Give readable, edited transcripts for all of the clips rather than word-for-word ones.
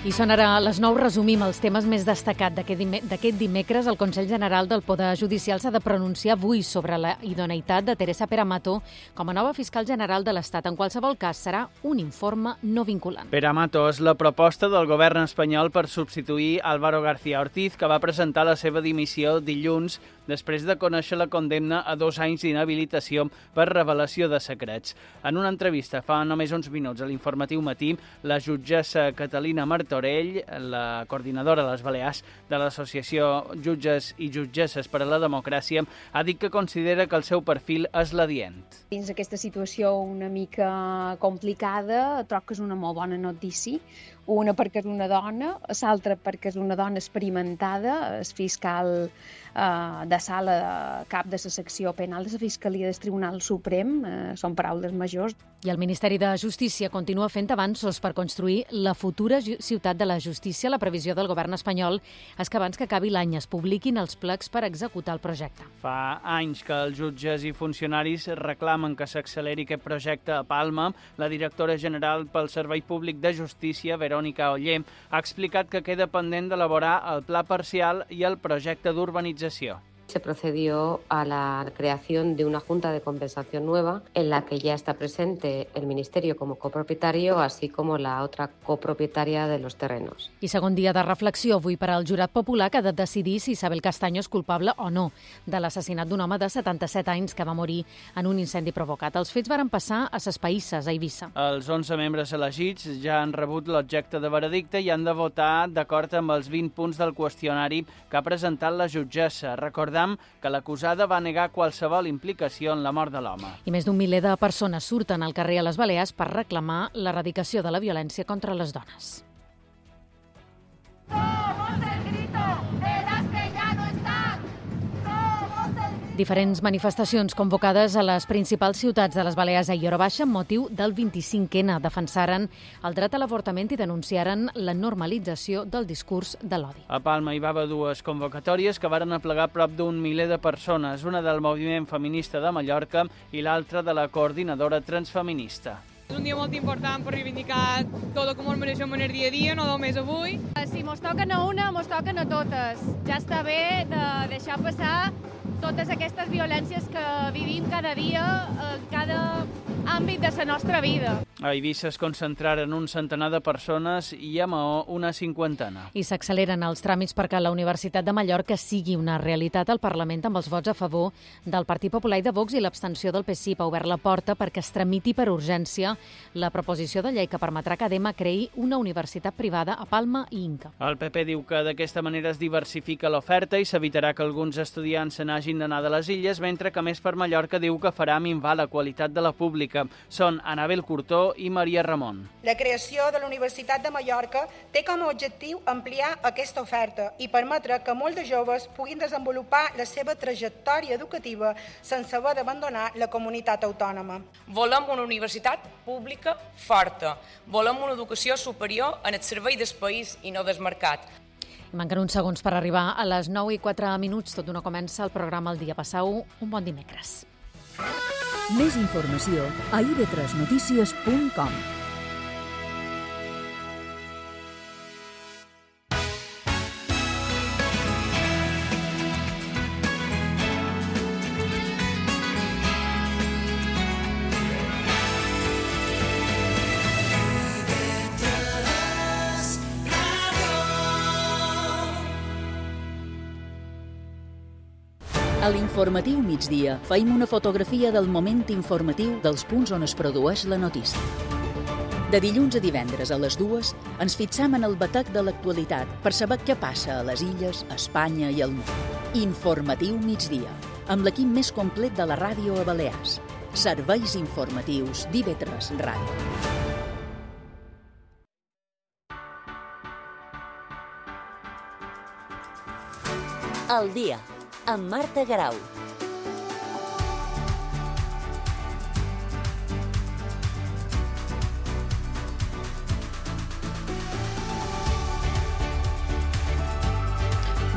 I són ara a les 9, resumim els temes més destacats d'aquest dimecres. El Consell General del Poder Judicial s'ha de pronunciar avui sobre la idoneïtat de Teresa Peramato com a nova fiscal general de l'Estat. En qualsevol cas, serà un informe no vinculant. Peramato és la proposta del govern espanyol per substituir Álvaro García Ortiz, que va presentar la seva dimissió dilluns després de conèixer la condemna a 2 anys d'inhabilitació per revelació de secrets. En una entrevista fa només uns minuts a l'Informatiu Matí, la jutgessa Catalina Martorell, la coordinadora a les Balears de l'Associació Jutges i Jutgesses per a la Democràcia, ha dit que considera que el seu perfil és l'adient. Dins aquesta situació una mica complicada, trobo que és una molt bona notícia. Una perquè és una dona, l'altra perquè és una dona experimentada, és fiscal de sala de cap de la secció penal de la Fiscalia del Tribunal Suprem, són paraules majors. I el Ministeri de Justícia continua fent avanços per construir la futura ciutat de la justícia. La previsió del govern espanyol és que abans que acabi l'any es publiquin els plecs per executar el projecte. Fa anys que els jutges i funcionaris reclamen que s'acceleri aquest projecte a Palma. La directora general pel Servei Públic de Justícia, Verónica Oller, ha explicat que queda pendent d'elaborar el pla parcial i el projecte d'urbanització. Se procedió a la creación de una junta de compensación nueva en la que ya está presente el Ministerio como copropietario, así como la otra copropietaria de los terrenos. I segon dia de reflexió avui per al jurat popular, que ha de decidir si Isabel Castaño és culpable o no de l'assassinat d'un home de 77 anys que va morir en un incendi provocat. Els fets varen passar a Ses Païsses, a Eivissa. Els 11 membres elegits ja han rebut l'objecte de veredicte i han de votar d'acord amb els 20 punts del qüestionari que ha presentat la jutgessa. Recordem que l'acusada va negar qualsevol implicació en la mort de l'home. I més d'un miler de persones surten al carrer a les Balears per reclamar l'erradicació de la violència contra les dones. Diferents manifestacions convocades a les principals ciutats de les Balears ahir hora baixa amb motiu del 25N. Defensaren el dret a l'avortament i denunciaren la normalització del discurs de l'odi. A Palma hi va haver 2 convocatòries que varen aplegar prop d'un miler de persones, una del moviment feminista de Mallorca i l'altra de la coordinadora transfeminista. És un dia molt important per reivindicar tot el que ens mereixem en el dia a dia, no només avui. Si mos toquen a una, mos toquen a totes. Ja està bé de deixar passar totes aquestes violències que vivim cada dia, en cada àmbit de la nostra vida. A Eivissa es concentraren un centenar de persones i a Maó una 50. I s'acceleren els tràmits perquè la Universitat de Mallorca sigui una realitat al Parlament amb els vots a favor del Partit Popular i de Vox i l'abstenció del PSIP. Ha obert la porta perquè es tramiti per urgència la proposició de llei que permetrà que Adema creï una universitat privada a Palma i Inca. El PP diu que d'aquesta manera es diversifica l'oferta i s'evitarà que alguns estudiants se n'hagin d'anar de les illes, mentre que Més per Mallorca diu que farà minvar la qualitat de la pública. Són Anabel Curtó i Maria Ramon. La creació de la Universitat de Mallorca té com a objectiu ampliar aquesta oferta i permetre que molts de joves puguin desenvolupar la seva trajectòria educativa sense haver d'abandonar la comunitat autònoma. Volem una universitat pública forta. Volem una educació superior en el servei del país i no del mercat. Manquen uns segons per arribar a les 9:04. Tot d'una comença el programa El Dia. Passau un bon dimecres. Més informació a ib3notícies.com. A l'Informatiu Migdia feim una fotografia del moment informatiu dels punts on es produeix la notícia. De dilluns a divendres a les 2 ens fixam en el batec de l'actualitat per saber què passa a les illes, a Espanya i al món. Informatiu Migdia, amb l'equip més complet de la ràdio a Balears. Serveis informatius d'IV3 Ràdio. El Dia, amb Marta Garau.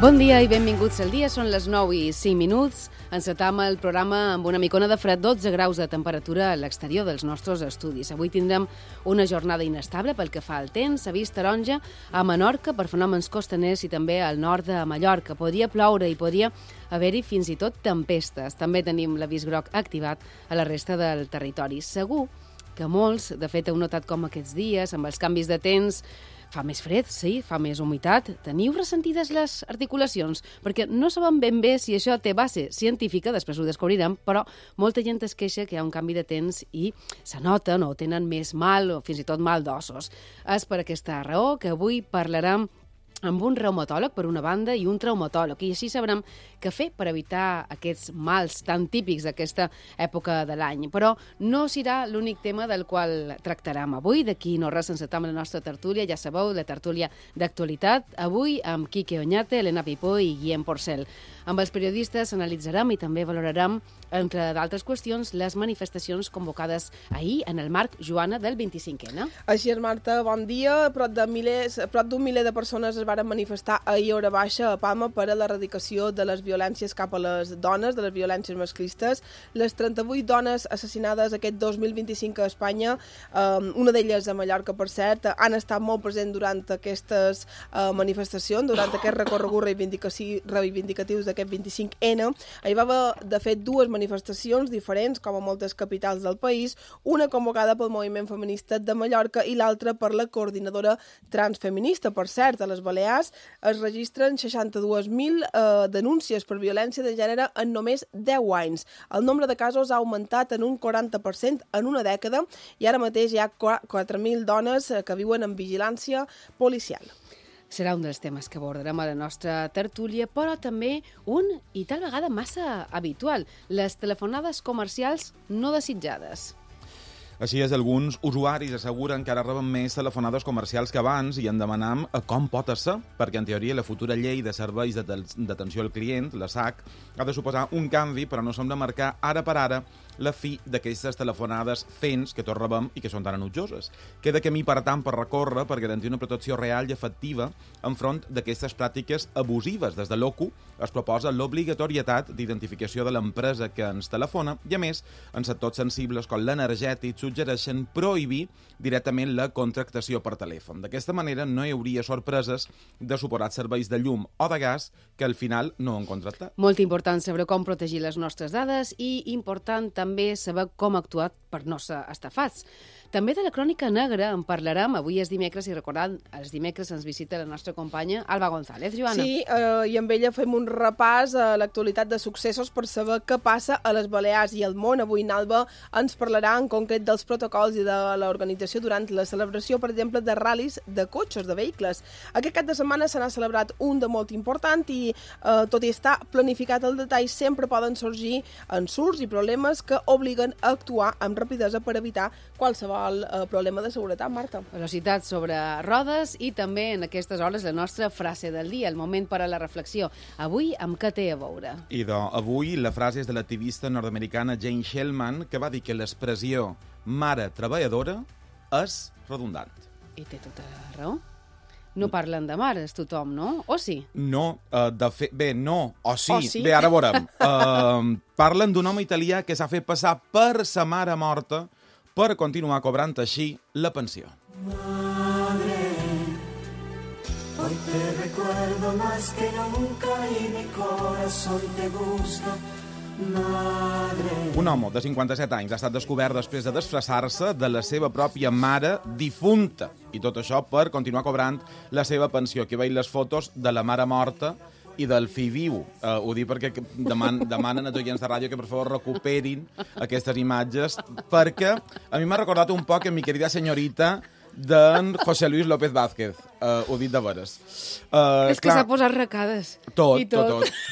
Bon dia i benvinguts al dia. Són les 9:05. Encetam el programa amb una micona de fred, 12 graus de temperatura a l'exterior dels nostres estudis. Avui tindrem una jornada inestable pel que fa al temps. S'ha vist taronja a Menorca per fenòmens costaners i també al nord de Mallorca. Podria ploure i podria haver-hi fins i tot tempestes. També tenim l'avís groc activat a la resta del territori. Segur que molts, de fet, heu notat com aquests dies, amb els canvis de temps, fa més fred, sí, fa més humitat. Teniu ressentides les articulacions? Perquè no sabem ben bé si això té base científica, després ho descobrirem, però molta gent es queixa que hi ha un canvi de temps i se noten o tenen més mal o fins i tot mal d'ossos. És per aquesta raó que avui parlarem amb un reumatòleg, per una banda, i un traumatòleg, i així sabrem què fer per evitar aquests mals tan típics d'aquesta època de l'any. Però no serà l'únic tema del qual tractarem avui. D'aquí no res encetam la nostra tertúlia, ja sabeu, la tertúlia d'actualitat, avui amb Quique Oñate, Elena Pipó i Guillem Porcel. Amb els periodistes analitzarem i també valorarem, entre d'altres qüestions, les manifestacions convocades ahir en el marc, Joana, del 25N. Així és, Marta, bon dia. Prop d'un miler de persones es van manifestar ahir a hora baixa a Palma per a l'erradicació de les violències cap a les dones, de les violències masclistes. Les 38 dones assassinades aquest 2025 a Espanya, una d'elles a Mallorca, per cert, han estat molt presents durant aquestes manifestacions, durant aquest recorregut reivindicatius d'aquest 25N. Hi va haver, de fet, dues manifestacions diferents, com a moltes capitals del país, una convocada pel moviment feminista de Mallorca i l'altra per la coordinadora transfeminista. Per cert, a les Balears es registren 62.000 denúncies per violència de gènere en només 10 anys. El nombre de casos ha augmentat en un 40% en una dècada i ara mateix hi ha 4.000 dones que viuen en vigilància policial. Serà un dels temes que abordarem a la nostra tertúlia, però també un, i tal vegada massa habitual, les telefonades comercials no desitjades. Així és, alguns usuaris asseguren que ara reben més telefonades comercials que abans i en demanam com pot ser, perquè en teoria la futura llei de serveis d'atenció al client, la SAC, ha de suposar un canvi, però no sembla marcar ara per ara la fi d'aquestes telefonades fents que tots rebem i que són tan enutjoses. Queda camí, per tant, per recórrer per garantir una protecció real i efectiva enfront d'aquestes pràctiques abusives. Des de l'OCU es proposa l'obligatorietat d'identificació de l'empresa que ens telefona i, a més, en sectors sensibles com l'energètic suggereixen prohibir directament la contractació per telèfon. D'aquesta manera no hi hauria sorpreses de suposats serveis de llum o de gas que al final no han contractat. Molt important saber com protegir les nostres dades i important també saber com actuar per no ser estafats. També de la crònica negra en parlarem. Avui és dimecres i recordant, els dimecres ens visita la nostra companya Alba González. Joana. Sí, i amb ella fem un repàs a l'actualitat de successos per saber què passa a les Balears i al món. Avui Alba ens parlarà en concret dels protocols i de l'organització durant la celebració, per exemple, de ral·lis de cotxes, de vehicles. Aquest cap de setmana se n'ha celebrat un de molt important i, tot i estar planificat al detall, sempre poden sorgir ensurts i problemes que obliguen a actuar amb rapidesa per evitar qualsevol problema de seguretat, Marta. Velocitat sobre rodes i també en aquestes hores la nostra frase del dia, el moment per a la reflexió. Avui amb què té a veure? Avui la frase és de l'activista nord-americana Jane Shellman, que va dir que l'expressió mare treballadora és redundant. I té tota raó. No parlen de mares tothom, no? O sí? No, de fet... Bé, no. O sí. O sí? Bé, ara veurem. Parlen d'un home italià que s'ha fet passar per sa mare morta per continuar cobrant així la pensió. Madre, hoy te recuerdo más que nunca y mi corazón te busca. Madre. Un home de 57 anys ha estat descobert després de disfressar-se de la seva pròpia mare difunta. I tot això per continuar cobrant la seva pensió. Aquí veig les fotos de la mare morta i del fill viu. Ho dic perquè demanen als oients de ràdio que per favor recuperin aquestes imatges, perquè a mi m'ha recordat un poc en Mi querida señorita d'en José Luis López Vázquez. Ho dit de veres. És que s'ha posat recades. Tot.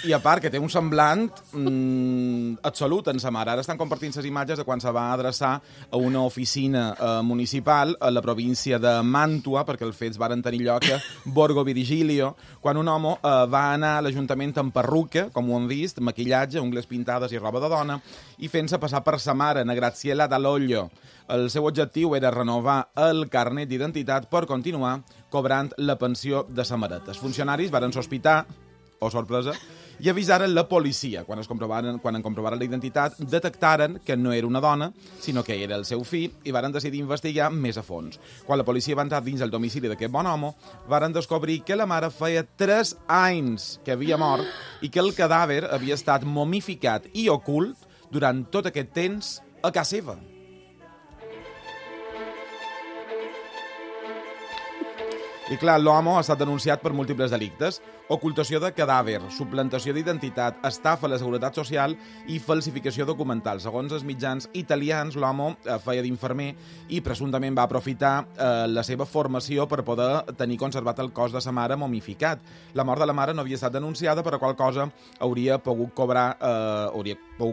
I a part que té un semblant absolut en sa mare. Ara estan compartint les imatges de quan se va adreçar a una oficina municipal a la província de Màntua, perquè els fets varen tenir lloc a Borgo Virgilio, quan un home va anar a l'Ajuntament amb perruca, com ho han vist, maquillatge, ungles pintades i roba de dona, i fent-se passar per sa mare, na Graziella Dall'Oglio. El seu objectiu era renovar el carnet d'identitat per continuar cobrant la pensió de sa mareta. Els funcionaris varen sospitar oh sorpresa, i avisaren la policia. Quan en comprovaren la identitat, detectaren que no era una dona, sinó que era el seu fill, i varen decidir investigar més a fons. Quan la policia va entrar dins el domicili d'aquest bon home, varen descobrir que la mare feia 3 anys que havia mort i que el cadàver havia estat momificat i ocult durant tot aquest temps a casa seva. I clar, l'home ha estat denunciat per múltiples delictes: ocultació de cadàver, suplantació d'identitat, estafa a la Seguretat Social i falsificació documental. Segons els mitjans italians, l'home feia d'infermer i presumptament va aprofitar la seva formació per poder tenir conservat el cos de sa mare momificat. La mort de la mare no havia estat denunciada, per la qual cosa hauria pogut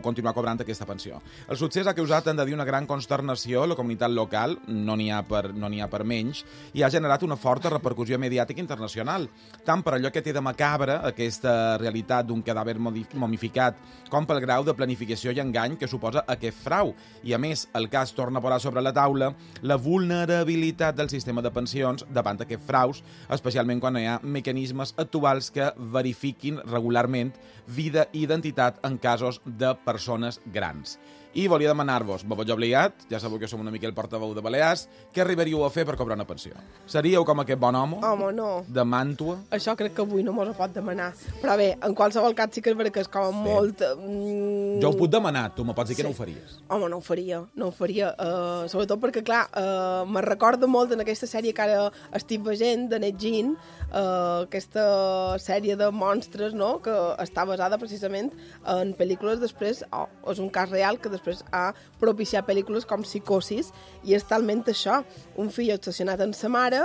continuar cobrant aquesta pensió. El succés ha causat, hem de dir, una gran consternació a la comunitat local, no n'hi ha per menys, i ha generat una forta repercussió mediàtica internacional, tant per allò que té de macabre aquesta realitat d'un cadàver momificat, com pel grau de planificació i engany que suposa aquest frau. I a més, el cas torna a posar sobre la taula la vulnerabilitat del sistema de pensions davant d'aquests fraus, especialment quan hi ha mecanismes actuals que verifiquin regularment vida i identitat en casos de persones grans. I volia demanar-vos, me veig obligat, ja sabeu que som una mica el portaveu de Balears, què arribaríeu a fer per cobrar una pensió? Seríeu com aquest bon home? Home, no. De Màntua? Això crec que avui no mos ho pot demanar. Però bé, en qualsevol cas sí que és veritat que és com molt... Jo ho puc demanar, tu me pots dir que no ho faries. Home, no ho faria. Sobretot perquè, clar, me recorda molt en aquesta sèrie que ara estic veient, de Net Gene, aquesta sèrie de monstres, no?, que està basada precisament en pel·lícules després, és un cas real que després ha propiciat pel·lícules com Psicosis, i és talment això, un fill obsessionat en sa mare,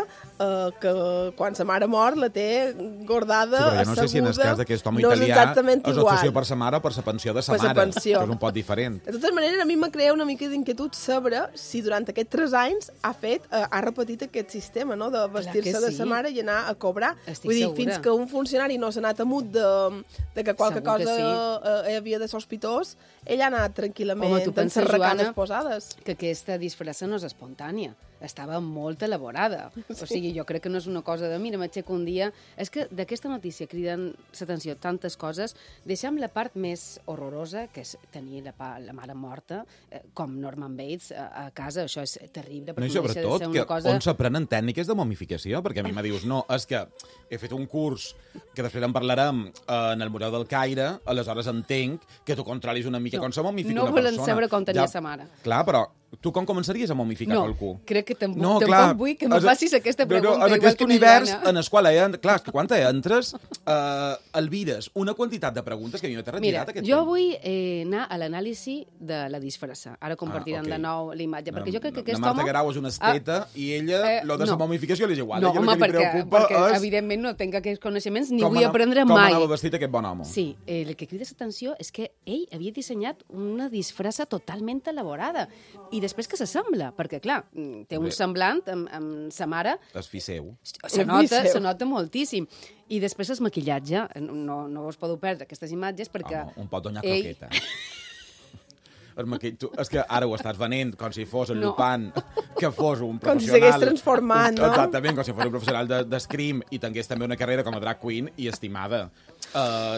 que quan sa mare mor la té guardada, asseguda... Sí, però jo no sé si en el cas d'aquest home italià és obsessió per sa mare o per sa pensió de sa mare, que és un pot diferent. De totes maneres, a mi me crea una mica d'inquietud saber si durant aquests 3 anys ha repetit aquest sistema, no?, de vestir-se de sa mare i anar a cobrar. Vull dir, fins que un funcionari no s'ha anat amut de que qualque cosa havia de sospitós, ell ha anat tranquil·lament encerracades posades. Que aquesta disfressa no és espontània, estava molt elaborada. O sigui, jo crec que no és una cosa de mira, m'aixeco un dia... És que d'aquesta notícia criden l'atenció tantes coses. Deixem la part més horrorosa, que és tenir la mare morta, com Norman Bates a casa. Això és terrible. No, i sobretot, on s'aprenen tècniques de momificació? Perquè a mi me dius, no, és que he fet un curs que després en parlarem en el Museu del Caire, aleshores entenc que tu controlis una mica com se momifica una persona. No volen saber com tenia sa mare. Clar, però tu com començaries a momificar qualcú? No, crec que tampoc vull que me facis aquesta pregunta. En aquest univers en el qual clar, és que quan entres el vires una quantitat de preguntes que a mi m'he retirat aquest temps. Jo vull anar a l'anàlisi de la disfressa. Ara compartiran de nou la imatge, perquè jo crec que aquest home... La Marta Guerau és una esteta i ella, lo de la momificació li és igual. No, home, perquè evidentment no tinc aquests coneixements ni vull aprendre mai. Com anava vestit aquest bon home. Sí, el que crida l'atenció és que ell havia dissenyat una disfressa totalment elaborada i després que s'assembla, perquè, clar, té un semblant amb sa mare. És fill seu. Se nota moltíssim. I després el maquillatge. No us podeu perdre aquestes imatges perquè... Un pot donar croqueta. És que ara ho estàs venent com si fos el Lupin, que fos un professional... Com si s'hagués transformat, no? Exactament, com si fos un professional d'escrim i tingués també una carrera com a drag queen i estimada.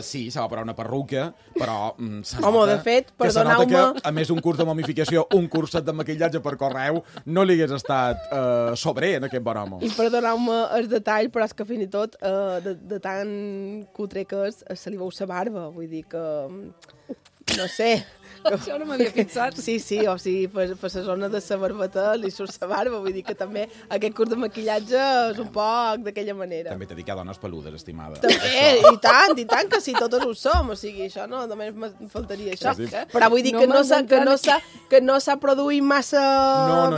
Sí, se va posar una perruca, però home, de fet, perdoneu-me... que, a més d'un curs de momificació, un curset de maquillatge per correu, no li hagués estat sobrer en aquest bon home. I perdoneu-me el detall, però és que fins i tot, de tan cutre que és, se li veu sa barba, vull dir que... No sé... Això no m'havia pensat. Sí, o sigui, per la zona de sa barbeta li surt sa barba, vull dir que també aquest curs de maquillatge és un poc d'aquella manera. També t'he dit que dones peludes, estimada. També, i tant, que sí, totes ho som, o sigui, això no, només em faltaria això. Sí. Però vull dir que no s'ha produït massa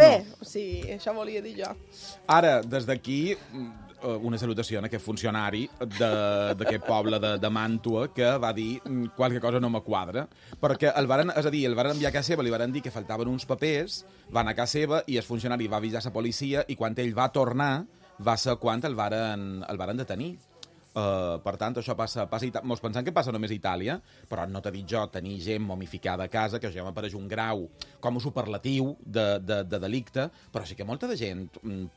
bé, o sigui, això volia dir jo. Ara, des d'aquí... una salutació a aquest funcionari d'aquest poble de Màntua que va dir qualque cosa no me quadra, perquè el varen enviar a casa seva, li varen dir que faltaven uns papers, va anar a casa seva i el funcionari va avisar la policia i quan ell va tornar va ser quan el varen detenir. Per tant, això passa mos pensem que passa només a Itàlia, però no t'he dit jo tenir gent momificada a casa, que ja m'apareix un grau com a superlatiu de delicte, però sí que molta de gent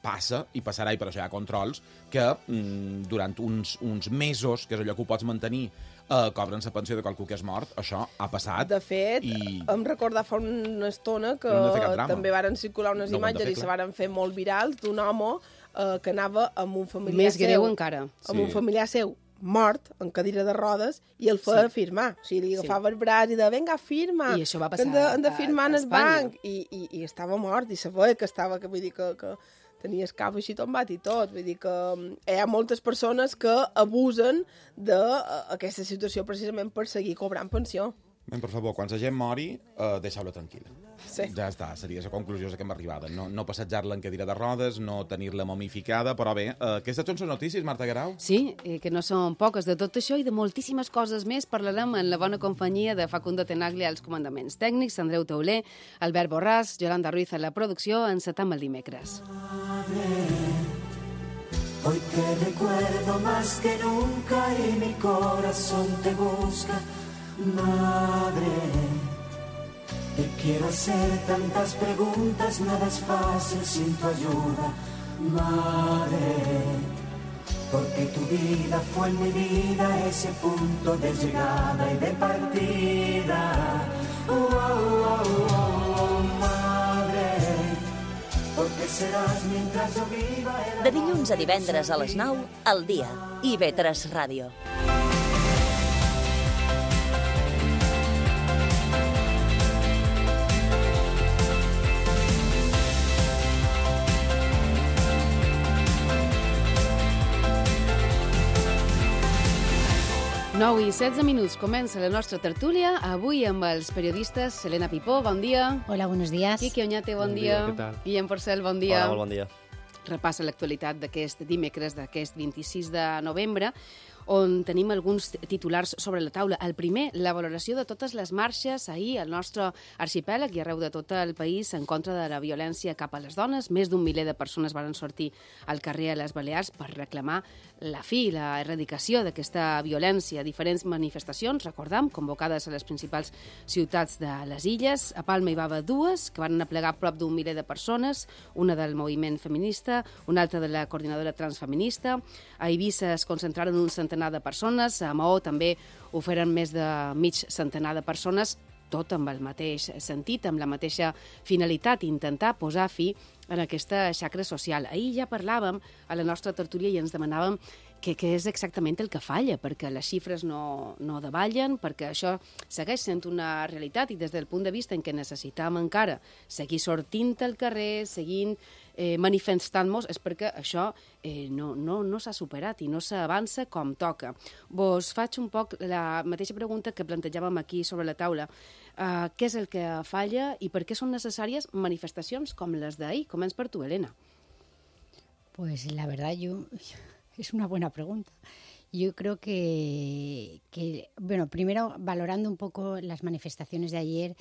passa, i passarà, i per això hi ha controls, que durant uns mesos, que és allò que ho pots mantenir, cobren la pensió de qualcú que és mort. Això ha passat. De fet, em recordava fa una estona que també varen circular unes imatges i se varen fer molt virals d'un home que anava amb un familiar seu. Més greu encara. Amb un familiar seu mort, en cadira de rodes, i el feia firmar. O sigui, li agafava el braç i de, vinga, firma. I això va passar hem de firmar en el banc. I estava mort, i se feia que estava, que vull dir que tenia el cap així tombat i tot. Vull dir que hi ha moltes persones que abusen d'aquesta situació precisament per seguir cobrant pensió. Ben, per favor, quan la gent mori, deixeu-la tranquil·la. Sí. Ja està, seria la conclusió que hem arribat. No passejar-la en cadira de rodes, no tenir-la momificada, però bé, aquestes són les notícies, Marta Guerau? Sí, que no són poques. De tot això i de moltíssimes coses més parlarem en la bona companyia de Facundo Tenaglia als comandaments tècnics, Andreu Tauler, Albert Borràs, Yolanda Ruiz a la producció. Encetam el dimecres. Hoy te recuerdo más que nunca y mi corazón te busca. Madre, te quiero hacer tantas preguntas, nada es fácil sin tu ayuda. Madre, porque tu vida fue en mi vida ese punto de llegada y de partida. Madre, porque serás mientras yo viva. De dilluns a divendres a les 9, al dia. IB3 Ràdio. Nou i 16 minuts comença la nostra tertúlia, avui amb els periodistes Helena Pipó, bon dia. Hola, buenos días. Quique Oñate, bon dia. Què tal? Guillem Porcel, bon dia. Hola, molt bon dia. Repassa l'actualitat d'aquest dimecres, d'aquest 26 de novembre, on tenim alguns titulars sobre la taula. El primer, la valoració de totes les marxes ahir al nostre arxipèlag i arreu de tot el país en contra de la violència cap a les dones. Més d'un miler de persones van sortir al carrer a les Balears per reclamar la fi, la erradicació d'aquesta violència. Diferents manifestacions, recordam, convocades a les principals ciutats de les illes. A Palma hi va haver dues, que van aplegar prop d'un miler de persones, una del moviment feminista, una altra de la coordinadora transfeminista. A Eivissa es concentraren un centenar de persones, a Maó també ho feren més de mig centenar de persones, tot amb el mateix sentit, amb la mateixa finalitat, intentar posar fi en aquesta xacra social. Ahir ja parlàvem a la nostra tertúlia i ens demanàvem què és exactament el que falla, perquè les xifres no davallen, perquè això segueix sent una realitat i des del punt de vista en què necessitam encara seguir sortint al carrer, seguint manifestant-nos, és perquè això no s'ha superat i no s'avança com toca. Vos faig un poc la mateixa pregunta que plantejàvem aquí sobre la taula. Què és el que falla i per què són necessàries manifestacions com les d'ahir? Començ per tu, Helena. Pues la verdad es una buena pregunta. Yo creo que bueno, primero valorando un poco las manifestaciones de ayer,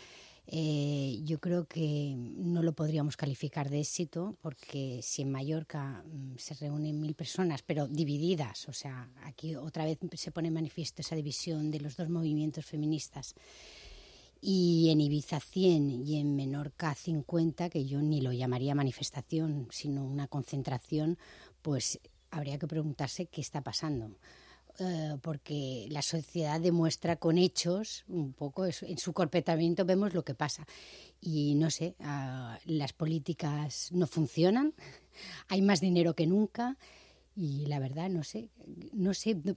yo creo que no lo podríamos calificar de éxito, porque si en Mallorca se reúnen 1.000 personas, pero divididas, o sea, aquí otra vez se pone en manifiesto esa división de los dos movimientos feministas, y en Ibiza 100 y en Menorca 50, que yo ni lo llamaría manifestación, sino una concentración, pues habría que preguntarse qué está pasando. Porque la sociedad demuestra con hechos, un poco en su comportamiento vemos lo que pasa. Y no sé, las políticas no funcionan, hay más dinero que nunca y la verdad no sé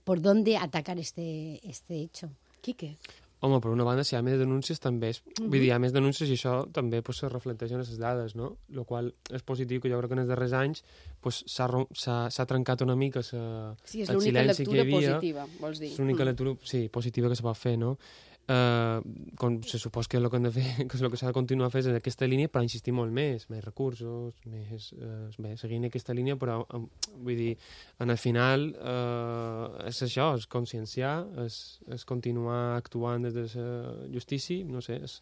por dónde atacar este hecho. Quique? Home, per una banda, si hi ha més denúncies, també és... Vull dir, hi ha més denúncies i això també pues, se reflecteix en les dades, no? El qual és positiu, que jo crec que en els darrers anys pues, s'ha trencat una mica el silenci que hi havia. Sí, és l'única lectura positiva, vols dir. És l'única lectura, sí, positiva que se pot fer, no? Se supos que el que hem de fer, que és el que s'ha de continuar fent en aquesta línia, per insistir molt més recursos, seguint aquesta línia, però vull dir, en el final és això, és conscienciar, és continuar actuant des de la justícia, no sé, és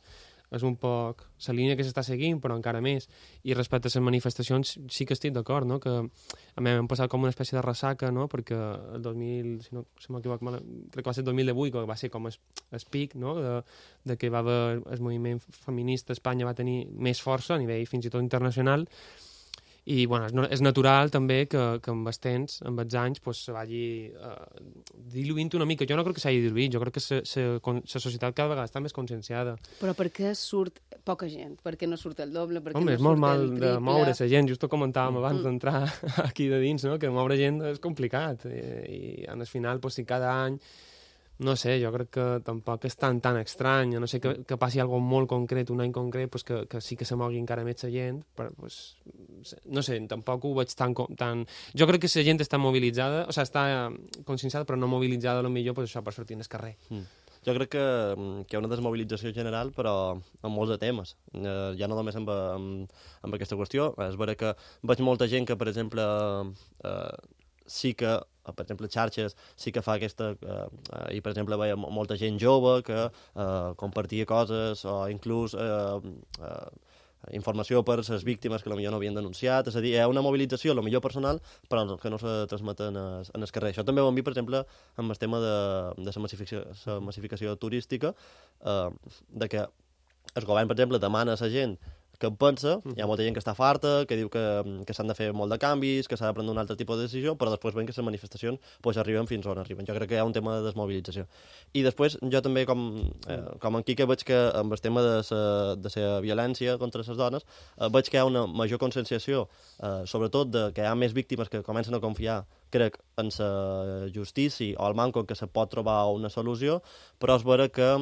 és un poc la línia que s'està seguint, però encara més. I respecte a les manifestacions sí que estic d'acord, no? Que a mi m'han passat com una espècie de ressaca, no? Perquè el 2000, si m'equivoco, crec que va ser el 2018, que va ser com el pic, no? De que va haver el moviment feminista a Espanya va tenir més força a nivell fins i tot internacional. I bueno, és natural també que amb els temps, amb els anys, pues, se vagi diluint una mica. Jo no crec que s'hagi diluït, jo crec que la societat cada vegada està més conscienciada. Però per què surt poca gent? Per què no surt el doble? Per què Home, no és molt surt mal el de triple? moure la gent, just ho comentàvem abans d'entrar aquí de dins, no? Que moure gent és complicat i al final, pues, si cada any no sé, jo crec que tampoc és tan estrany, no sé que passi alguna molt concret, un any concret, pues que sí que se mogui encara més la gent, però pues, no sé, tampoc ho veig tan... Jo crec que la gent està mobilitzada, o sigui, està conscienciada, però no mobilitzada, potser pues, això per sortir al carrer. Jo crec que hi ha una desmobilització general, però en molts de temes. Ja no només amb aquesta qüestió. És vera que veig molta gent que, per exemple, sí que, per exemple, xarxes, sí que fa aquesta... I, per exemple, veia molta gent jove que compartia coses o inclús informació per les víctimes que potser no havien denunciat. És a dir, hi ha una mobilització, potser personal, però que no se transmeten en el carrer. Això també ho hem vist, per exemple, amb el tema de la massificació turística, de que el govern, per exemple, demana a la gent que en pensa, hi ha molta gent que està farta, que diu que s'han de fer molt de canvis, que s'ha de prendre un altre tipus de decisió, però després veiem que les manifestacions pues, arriben fins on arriben. Jo crec que hi ha un tema de desmobilització. I després, jo també, com en Quique, veig que amb el tema de la violència contra les dones, veig que hi ha una major conscienciació, sobretot de que hi ha més víctimes que comencen a confiar, crec, en la justícia o al manco que se pot trobar una solució, però és vera que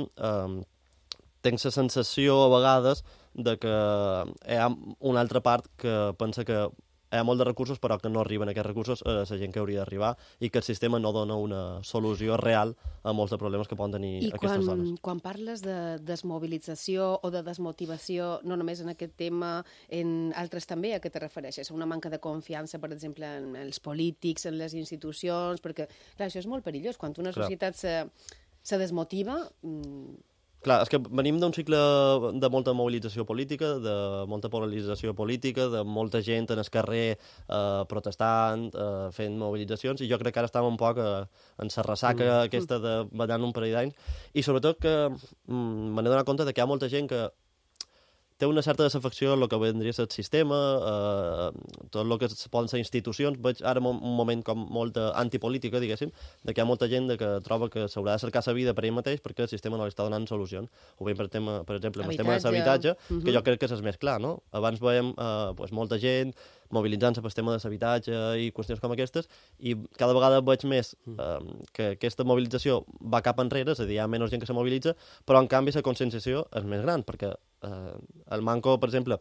tinc la sensació a vegades de que hi ha una altra part que pensa que hi ha molt de recursos però que no arriben aquests recursos a la gent que hauria d'arribar i que el sistema no dona una solució real a molts de problemes que poden tenir aquestes dones. I quan parles de desmobilització o de desmotivació, no només en aquest tema, en altres també, a què te refereixes? A una manca de confiança, per exemple, en els polítics, en les institucions, perquè clar, això és molt perillós. Quan una societat se desmotiva... Clar, és que venim d'un cicle de molta mobilització política, de molta polarització política, de molta gent en el carrer protestant, fent mobilitzacions, i jo crec que ara estàvem un poc en la ressaca aquesta de ballant un parell d'anys, i sobretot que me n'he donat compte que hi ha molta gent que té una certa desafecció en el que vendria a ser el sistema, tot el que poden ser institucions. Veig ara un moment com molt antipolítica, diguéssim, de que hi ha molta gent que troba que s'haurà de cercar la vida per ell mateix perquè el sistema no li està donant solucions. Ho veiem, per exemple, amb el tema de l'habitatge, que jo crec que és més clar, no? Abans veiem molta gent mobilitzant-se pel tema de l'habitatge i qüestions com aquestes, i cada vegada veig més que aquesta mobilització va cap enrere, és a dir, hi ha menys gent que se mobilitza, però en canvi la conscienciació és més gran, perquè el manco, per exemple,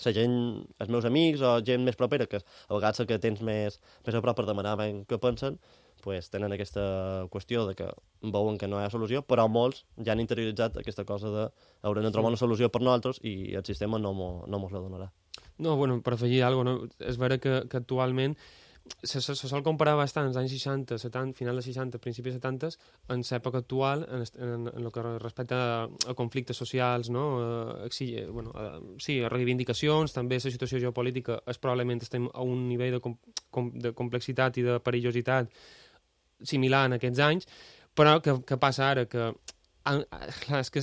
la gent, els meus amics o gent més propera, que a vegades que tens més a prop per demanar què pensen, pues, tenen aquesta qüestió de que veuen que no hi ha solució, però molts ja han interioritzat aquesta cosa de haurem de trobar una solució per nosaltres i el sistema no mos la donarà. No, bueno, per afegir alguna cosa, és vera que actualment se sol comparar bastant als anys 60, 70, final de 60, principis de 70, en l'època actual, en el que respecta a conflictes socials, no? Sí, a reivindicacions, també la situació geopolítica probablement estem a un nivell de complexitat i de perillositat similar en aquests anys, però què passa ara? Que clar, és que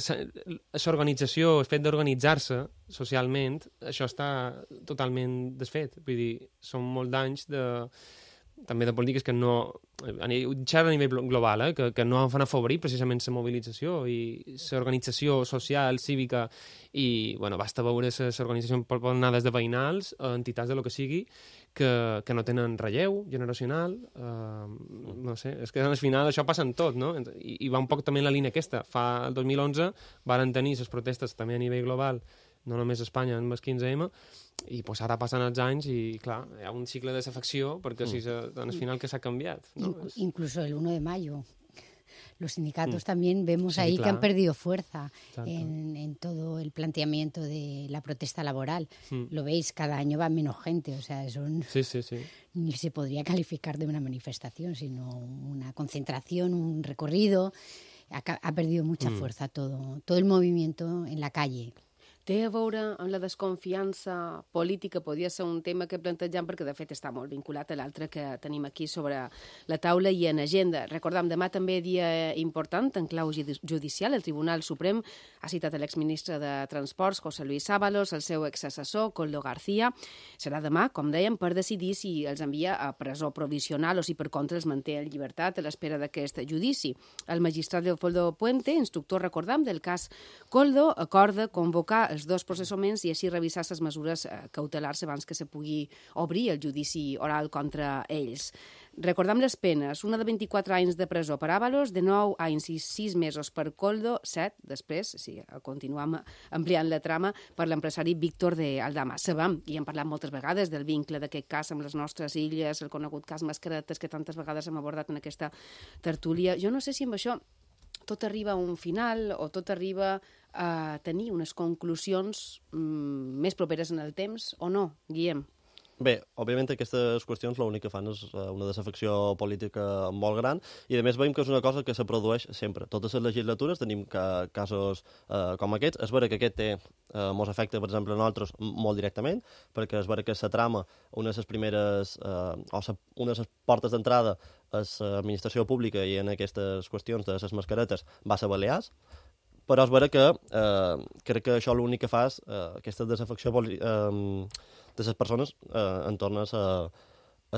l'organització, el fet d'organitzar-se socialment, això està totalment desfet. Vull dir, són molts d'anys també de polítiques que no... a nivell global, que no van afavorir precisament la mobilització i l'organització social, cívica, i, bueno, basta veure l'organització poden anar des de veïnals a entitats de lo que sigui, que no tenen relleu generacional, no sé, és que al final això passa en tot, no? I va un poc també en la línia aquesta. Fa el 2011 varen tenir les protestes també a nivell global, no només a Espanya, amb el 15M, i pues, ara passen els anys i, clar, hi ha un cicle de desafecció perquè al final que s'ha canviat. ¿No? Incluso el 1 de mayo. Los sindicatos también vemos ahí que han perdido fuerza en todo el planteamiento de la protesta laboral. Lo veis, cada año va menos gente, o sea, ni se podría calificar de una manifestación, sino una concentración, un recorrido. ha perdido mucha fuerza todo el movimiento en la calle. Té a veure amb la desconfiança política, podria ser un tema que plantejam perquè de fet està molt vinculat a l'altre que tenim aquí sobre la taula i en agenda. Recordam, demà també dia important en clau judicial. El Tribunal Suprem ha citat l'exministre de Transports, José Luis Ábalos, el seu exassessor, Koldo García. Serà demà, com dèiem, per decidir si els envia a presó provisional o si per contra els manté en llibertat a l'espera d'aquest judici. El magistrat Leopoldo Puente, instructor, recordam, del cas Koldo, acorda convocar els dos processaments i així revisar les mesures cautelars abans que se pugui obrir el judici oral contra ells. Recordam les penes, una de 24 anys de presó per Ábalos, de 9 anys i 6 mesos per Koldo, 7 després, si continuem ampliant la trama, per l'empresari Víctor de Aldama. Sabem, i hem parlat moltes vegades del vincle d'aquest cas amb les nostres illes, el conegut cas Mascaretes, que tantes vegades hem abordat en aquesta tertúlia. Jo no sé si amb això tot arriba a un final o tot arriba a tenir unes conclusions més properes en el temps o no, Guillem? Bé, òbviament aquestes qüestions l'únic que fan és una desafecció política molt gran i a més veiem que és una cosa que se produeix sempre. Totes les legislatures tenim casos com aquests. És vera que aquest té mos afecta, per exemple, a nosaltres molt directament, perquè és vera que la trama, una de les primeres una de les portes d'entrada a l'administració pública i en aquestes qüestions de les mascaretes va ser Balears, però és vera que crec que això l'únic que fa és aquesta desafecció de les persones en torn a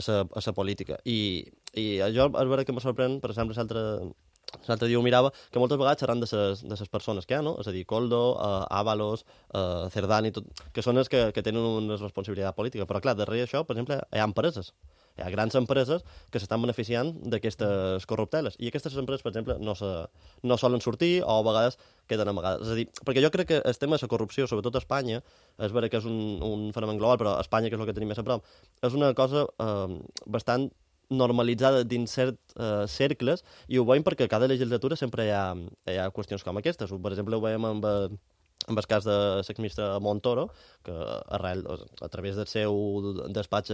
la política. I jo és vera que me sorprèn, per exemple, l'altre dia ho mirava, que moltes vegades xerran de les persones que hi ha, no? És a dir, Koldo, Ábalos, Cerdani, que són els que tenen una responsabilitat política. Però, clar, darrere això, per exemple, hi ha empreses. Hi ha grans empreses que s'estan beneficiant d'aquestes corrupteles. I aquestes empreses, per exemple, no solen sortir o a vegades queden amagades. És a dir, perquè jo crec que el tema de la corrupció, sobretot a Espanya, és vera que és un fenomen global, però a Espanya, que és el que tenim més a prop, és una cosa bastant normalitzada dins certs cercles, i ho veiem perquè cada legislatura sempre hi ha qüestions com aquestes. Per exemple, ho veiem amb el cas de l'exministre Montoro, que a través del seu despatx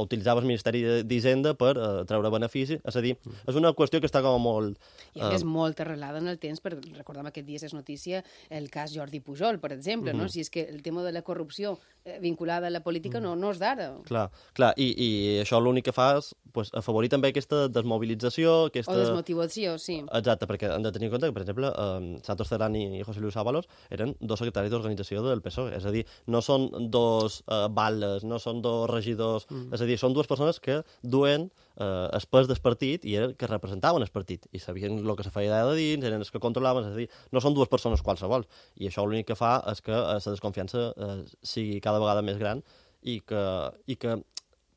utilitzava el Ministeri d'Hisenda per treure benefici. És a dir, és una qüestió que està com molt... I és molt arrelada en el temps, perquè recordem aquest dia és notícia el cas Jordi Pujol, per exemple, no? Si és que el tema de la corrupció vinculada a la política no és d'ara. Clar, i això l'únic que fa és afavorir també aquesta desmobilització, o desmotivació, sí. Exacte, perquè hem de tenir en compte que, per exemple, Santos Cerdani i José Luis Ábalos eren dos secretaris d'organització del PSOE, és a dir, no són dos batlles, no són dos regidors, és a dir, són dues persones que duen el pes del partit i que representaven el partit, i sabien el que se feia allà de dins, eren els que controlaven, és a dir, no són dues persones qualsevol, i això l'únic que fa és que la desconfiança sigui cada vegada més gran i que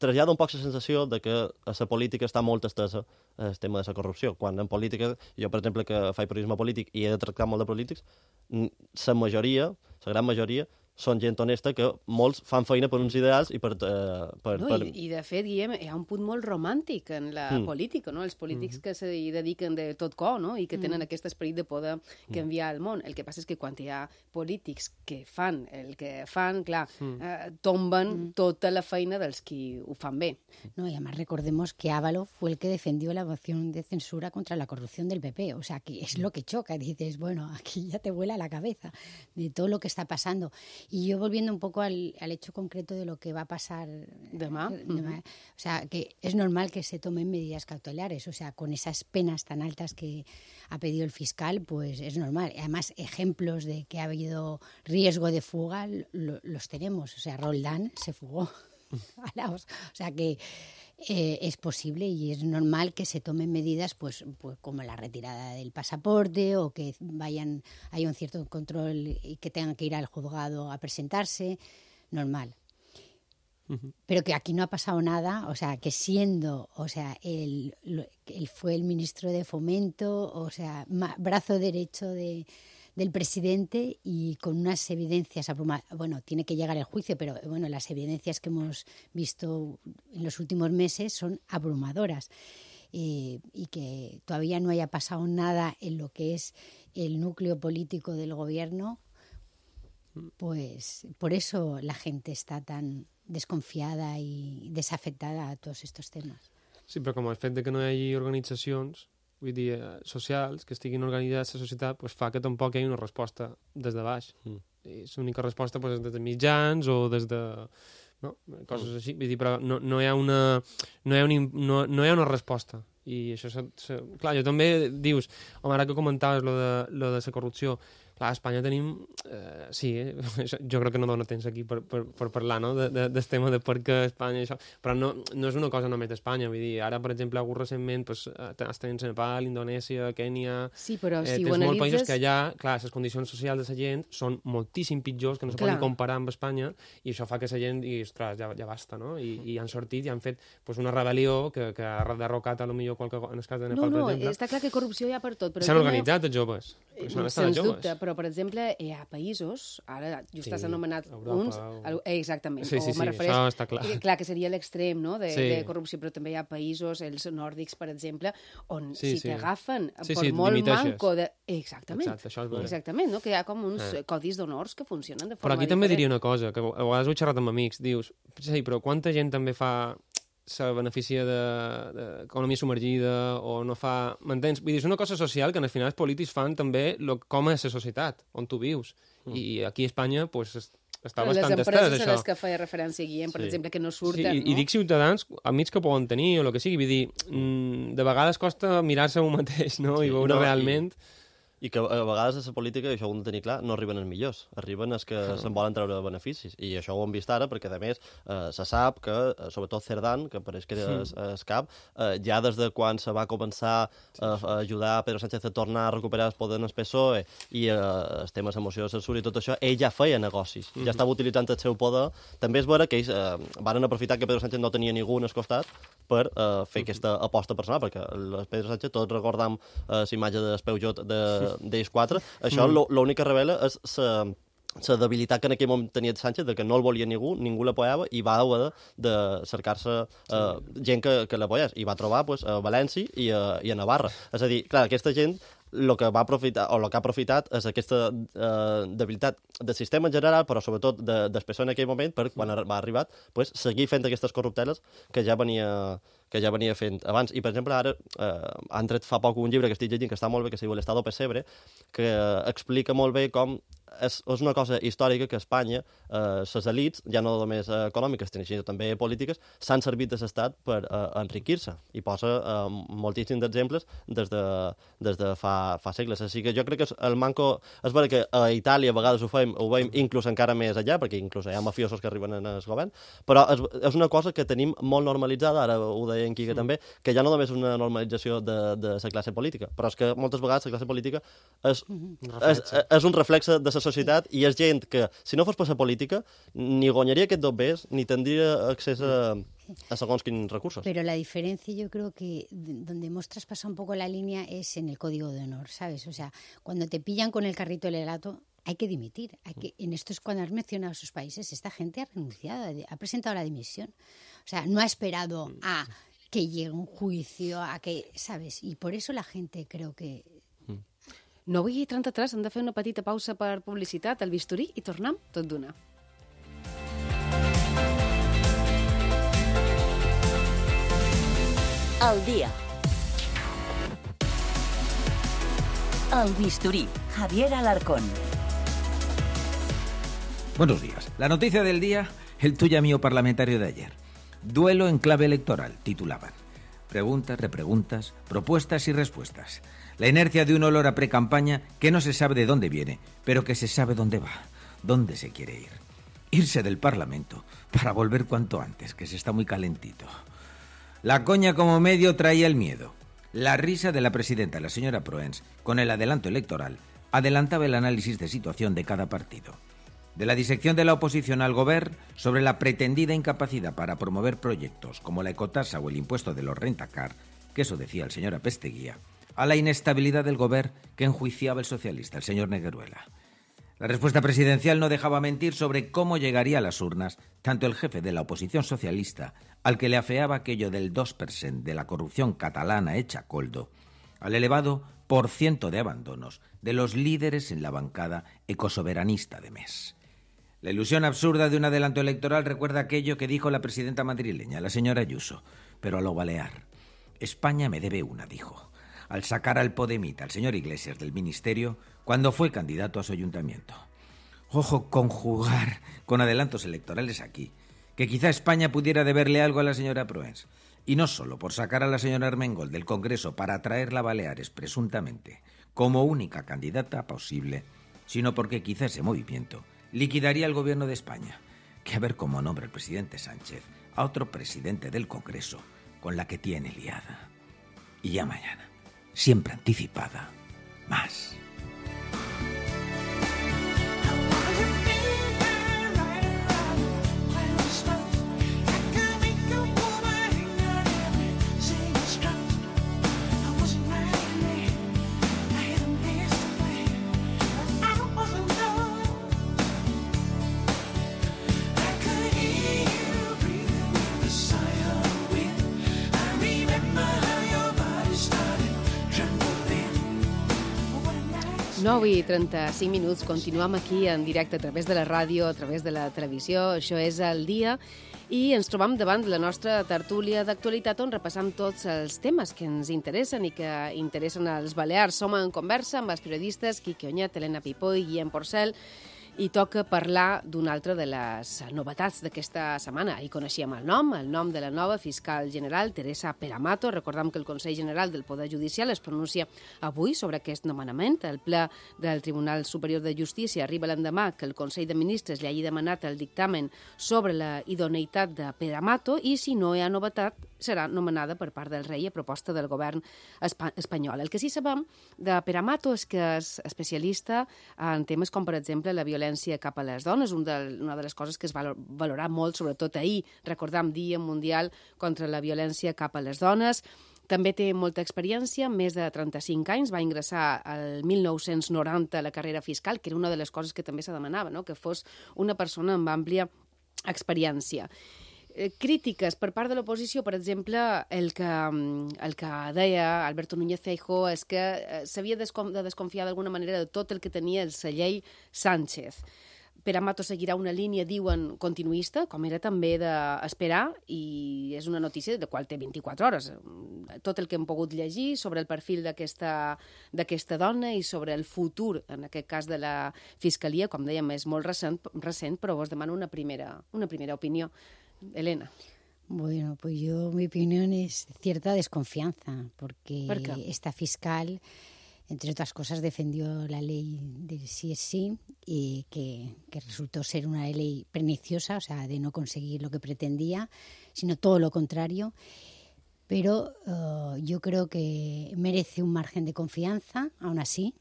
trasllada un poc la sensació de que a la política està molt estesa el tema de la corrupció, quan en política, jo per exemple que faig periodisme polític i he de tractar molt de polítics, la majoria, la gran majoria, són gent honesta que molts fan feina per uns ideals i per... I de fet, Guillem, hi ha un punt molt romàntic en la política, no? Els polítics que s'hi dediquen de tot cor, no? I que tenen aquest esperit de poder canviar el món. El que passa és que quan hi ha polítics que fan el que fan, clar, tomben tota la feina dels qui ho fan bé. No, y además recordemos que Ábalos fue el que defendió la moción de censura contra la corrupción del PP. O sea, que es lo que choca. Dices, bueno, aquí ya te vuela la cabeza de todo lo que está pasando. Y yo volviendo un poco al hecho concreto de lo que va a pasar demà, o sea, que es normal que se tomen medidas cautelares, o sea, con esas penas tan altas que ha pedido el fiscal, pues es normal. Además, ejemplos de que ha habido riesgo de fuga los tenemos. O sea, Roldán se fugó. O sea que es posible y es normal que se tomen medidas pues como la retirada del pasaporte o que haya un cierto control y que tengan que ir al juzgado a presentarse, normal. Pero que aquí no ha pasado nada, o sea, que siendo, o sea, él fue el ministro de Fomento, o sea, brazo derecho del presidente y con unas evidencias abrumadoras. Bueno, tiene que llegar el juicio, pero bueno, las evidencias que hemos visto en los últimos meses son abrumadoras. Y que todavía no haya pasado nada en lo que es el núcleo político del gobierno, pues por eso la gente está tan desconfiada i desafectada a tots aquests temes. Sí, però com el fet de que no hi hagi organitzacions vull dir, socials, que estiguin organitzats a la societat, pues, fa que tampoc hi hagi una resposta des de baix. I l'única resposta pues, és des de mitjans o des de... No? Coses així, vull dir, però no hi ha una resposta. I això, clar, jo també dius, home, ara que comentaves lo de la corrupció, clar, a Espanya tenim... sí, jo crec que no dona temps aquí per parlar, no?, del tema de per què Espanya i això, però no és una cosa només d'Espanya, vull dir, ara, per exemple, algú recentment estan en Nepal, Indonèsia, Kènia... Sí, però si ho analitzes... molts països que allà, clar, les condicions socials de la gent són moltíssim pitjors, que no se poden comparar amb Espanya, i això fa que la gent digui, ostres, ja basta, no? I han sortit i han fet una rebel·lió que ha derrocat, potser, en el cas de Nepal, per exemple. No, està clar que corrupció hi ha per tot. S'han organitzat els joves. Sens dubte, però, per exemple, hi ha països, ara just has anomenat uns... Exactament. Sí, això està clar. Clar, que seria l'extrem, no?, de corrupció, però també hi ha països, els nòrdics, per exemple, on si t'agafen per molt manco de... Exactament, no?, que hi ha com uns codis d'honors que funcionen de forma diferent. Però aquí també diria una cosa, que a vegades ho he xerrat amb amics, dius, sí, però quanta gent també fa... se beneficia d'economia submergida o no fa... M'entens? Vull dir, és una cosa social que al final els polítics fan també com és la societat, on tu vius. I aquí a Espanya pues, està bastant estès, això. Les empreses a les que feia referència Guillem, per exemple, que no surten... I dic ciutadans, amics que poden tenir o el que sigui, vull dir, de vegades costa mirar-se un mateix, no?, i veure realment... I que a vegades a la política, això ho hem de tenir clar, no arriben els millors, arriben els que se'n volen treure beneficis. I això ho hem vist ara, perquè a més se sap que, sobretot Cerdán, que pareix que era el cap, ja des de quan se va començar a ajudar a Pedro Sánchez a tornar a recuperar el poder en el PSOE i els temes emoció de censura i tot això, ell ja feia negocis, ja estava utilitzant el seu poder. També és vera que ells van aprofitar que Pedro Sánchez no tenia ningú en el costat per fer aquesta aposta personal, perquè el Pedro Sánchez, tots recordam la imatge del Peugeot d'ells quatre, això l'únic que revela és la debilitat que en aquell moment tenia Sánchez, de que no el volia ningú l'apoyava, i va haver de cercar-se gent que l'apoyés, i va trobar a València i a Navarra. És a dir, clar, aquesta gent el que va aprofitar, o el que ha aprofitat és aquesta debilitat del sistema en general, però sobretot del PSOE en aquell moment, per quan va arribar, seguir fent aquestes corrupteles que ja venia fent abans. I, per exemple, ara han tret fa poc un llibre que estic llegint que està molt bé, que es diu l'Estado Pesebre, que explica molt bé com és una cosa històrica que a Espanya les elits, ja no només econòmiques, sinó també polítiques, s'han servit de l'Estat per enriquir-se. I posa moltíssims exemples des de fa segles. Així que jo crec que el manco... És vera que a Itàlia a vegades ho veiem inclús encara més allà, perquè inclús hi ha mafiosos que arriben en el govern, però és una cosa que tenim molt normalitzada, ara ho deia en Quique també, que ja no només és una normalització de la classe política, però és que moltes vegades la classe política és un reflexe de la societat, i és gent que, si no fos per la política, ni guanyaria aquest dobbers, ni tindria accés a segons quins recursos. Pero la diferencia, yo creo que donde hemos traspasado un poco la línea es en el código de honor, ¿sabes? O sea, cuando te pillan con el carrito del helado, hay que dimitir. En esto es cuando has mencionado esos países, esta gente ha renunciado, ha presentado la dimisión. O sea, no ha esperado a que llegue un juicio, a que, ¿sabes? Y por eso la gente creo que... 9:33, hem de fer una petita pausa per publicitat, el bisturí, i tornem tot d'una. Al día. El bisturí, Javier Alarcón. Buenos días. La noticia del día, el tuya mío parlamentario de ayer. Duelo en clave electoral, titulaban. Preguntas, repreguntas, propuestas y respuestas. La inercia de un olor a pre-campaña que no se sabe de dónde viene, pero que se sabe dónde va, dónde se quiere ir. Irse del Parlamento para volver cuanto antes, que se está muy calentito. La coña como medio traía el miedo. La risa de la presidenta, la señora Proens, con el adelanto electoral, adelantaba el análisis de situación de cada partido. De la disección de la oposición al Govern sobre la pretendida incapacidad para promover proyectos como la ecotasa o el impuesto de los rentacar, que eso decía el señor Apesteguía, a la inestabilidad del Govern que enjuiciaba el socialista, el señor Negueruela. La respuesta presidencial no dejaba mentir sobre cómo llegaría a las urnas tanto el jefe de la oposición socialista, al que le afeaba aquello del 2% de la corrupción catalana hecha coldo, al elevado porciento de abandonos de los líderes en la bancada ecosoberanista de MES. La ilusión absurda de un adelanto electoral recuerda aquello que dijo la presidenta madrileña, la señora Ayuso, pero a lo balear. España me debe una, dijo. al sacar al podemita, al señor Iglesias, del ministerio cuando fue candidato a su ayuntamiento. Ojo con jugar con adelantos electorales aquí, que quizá España pudiera deberle algo a la señora Proens. Y no solo por sacar a la señora Armengol del Congreso para traerla a Baleares, presuntamente, como única candidata posible, sino porque quizá ese movimiento liquidaría el gobierno de España, que a ver cómo nombra el presidente Sánchez a otro presidente del Congreso con la que tiene liada. Y ya mañana, siempre anticipada, más. I 35 minuts, continuem aquí en directe a través de la ràdio, a través de la televisió. Això és El Dia i ens trobam davant de la nostra tertúlia d'actualitat on repassam tots els temes que ens interessen i que interessen als Balears. Som en conversa amb els periodistes Quique Oñat, Helena Pipó i Guillem Porcel i toca parlar d'una altra de les novetats d'aquesta setmana. Ahir coneixíem el nom de la nova fiscal general, Teresa Peramato. Recordem que el Consell General del Poder Judicial es pronuncia avui sobre aquest nomenament. El ple del Tribunal Superior de Justícia arriba l'endemà que el Consell de Ministres li hagi demanat el dictamen sobre la idoneïtat de Peramato i, si no hi ha novetat, serà nomenada per part del rei a proposta del govern espanyol. El que sí sabem de Peramato és que és especialista en temes com, per exemple, la violència cap a les dones, una de les coses que es va valorar molt, sobretot ahir, recordam Dia Mundial contra la Violència cap a les Dones. També té molta experiència, més de 35 anys, va ingressar al 1990 a la carrera fiscal, que era una de les coses que també se demanava, no? Que fos una persona amb àmplia experiència. Crítiques per part de l'oposició, per exemple, el que deia Alberto Núñez Feijóo és que s'havia de desconfiar d'alguna manera de tot el que tenia el celler Sánchez. Peramato seguirà una línia, diuen, continuista, com era també d'esperar, i és una notícia de la qual té 24 hores. Tot el que hem pogut llegir sobre el perfil d'aquesta dona i sobre el futur, en aquest cas de la Fiscalia, com dèiem, és molt recent, però vos demano una primera opinió. Elena. Bueno, pues mi opinión es cierta desconfianza, porque esta fiscal, entre otras cosas, defendió la ley del sí es sí, y que resultó ser una ley perniciosa, o sea, de no conseguir lo que pretendía, sino todo lo contrario. Pero yo creo que merece un margen de confianza, aún así,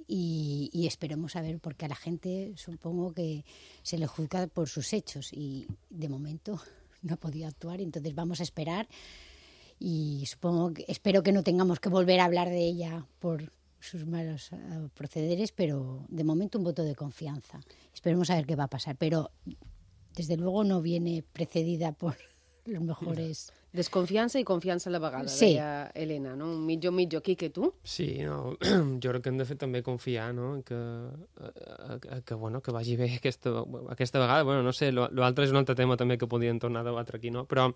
y esperemos a ver, porque a la gente supongo que se le juzga por sus hechos y de momento no ha podido actuar, entonces vamos a esperar y espero que no tengamos que volver a hablar de ella por sus malos procederes, pero de momento un voto de confianza. Esperemos a ver qué va a pasar, pero desde luego no viene precedida por los mejores... Desconfiança i confiança a la vegada, sí. Deia Helena, no? Un mitjo, Quique, tu? Sí, no, jo crec que hem de fer també confiar, no?, que vagi bé aquesta vegada. Bueno, no sé, l'altre és un altre tema també que podríem tornar a debatre aquí, no? Però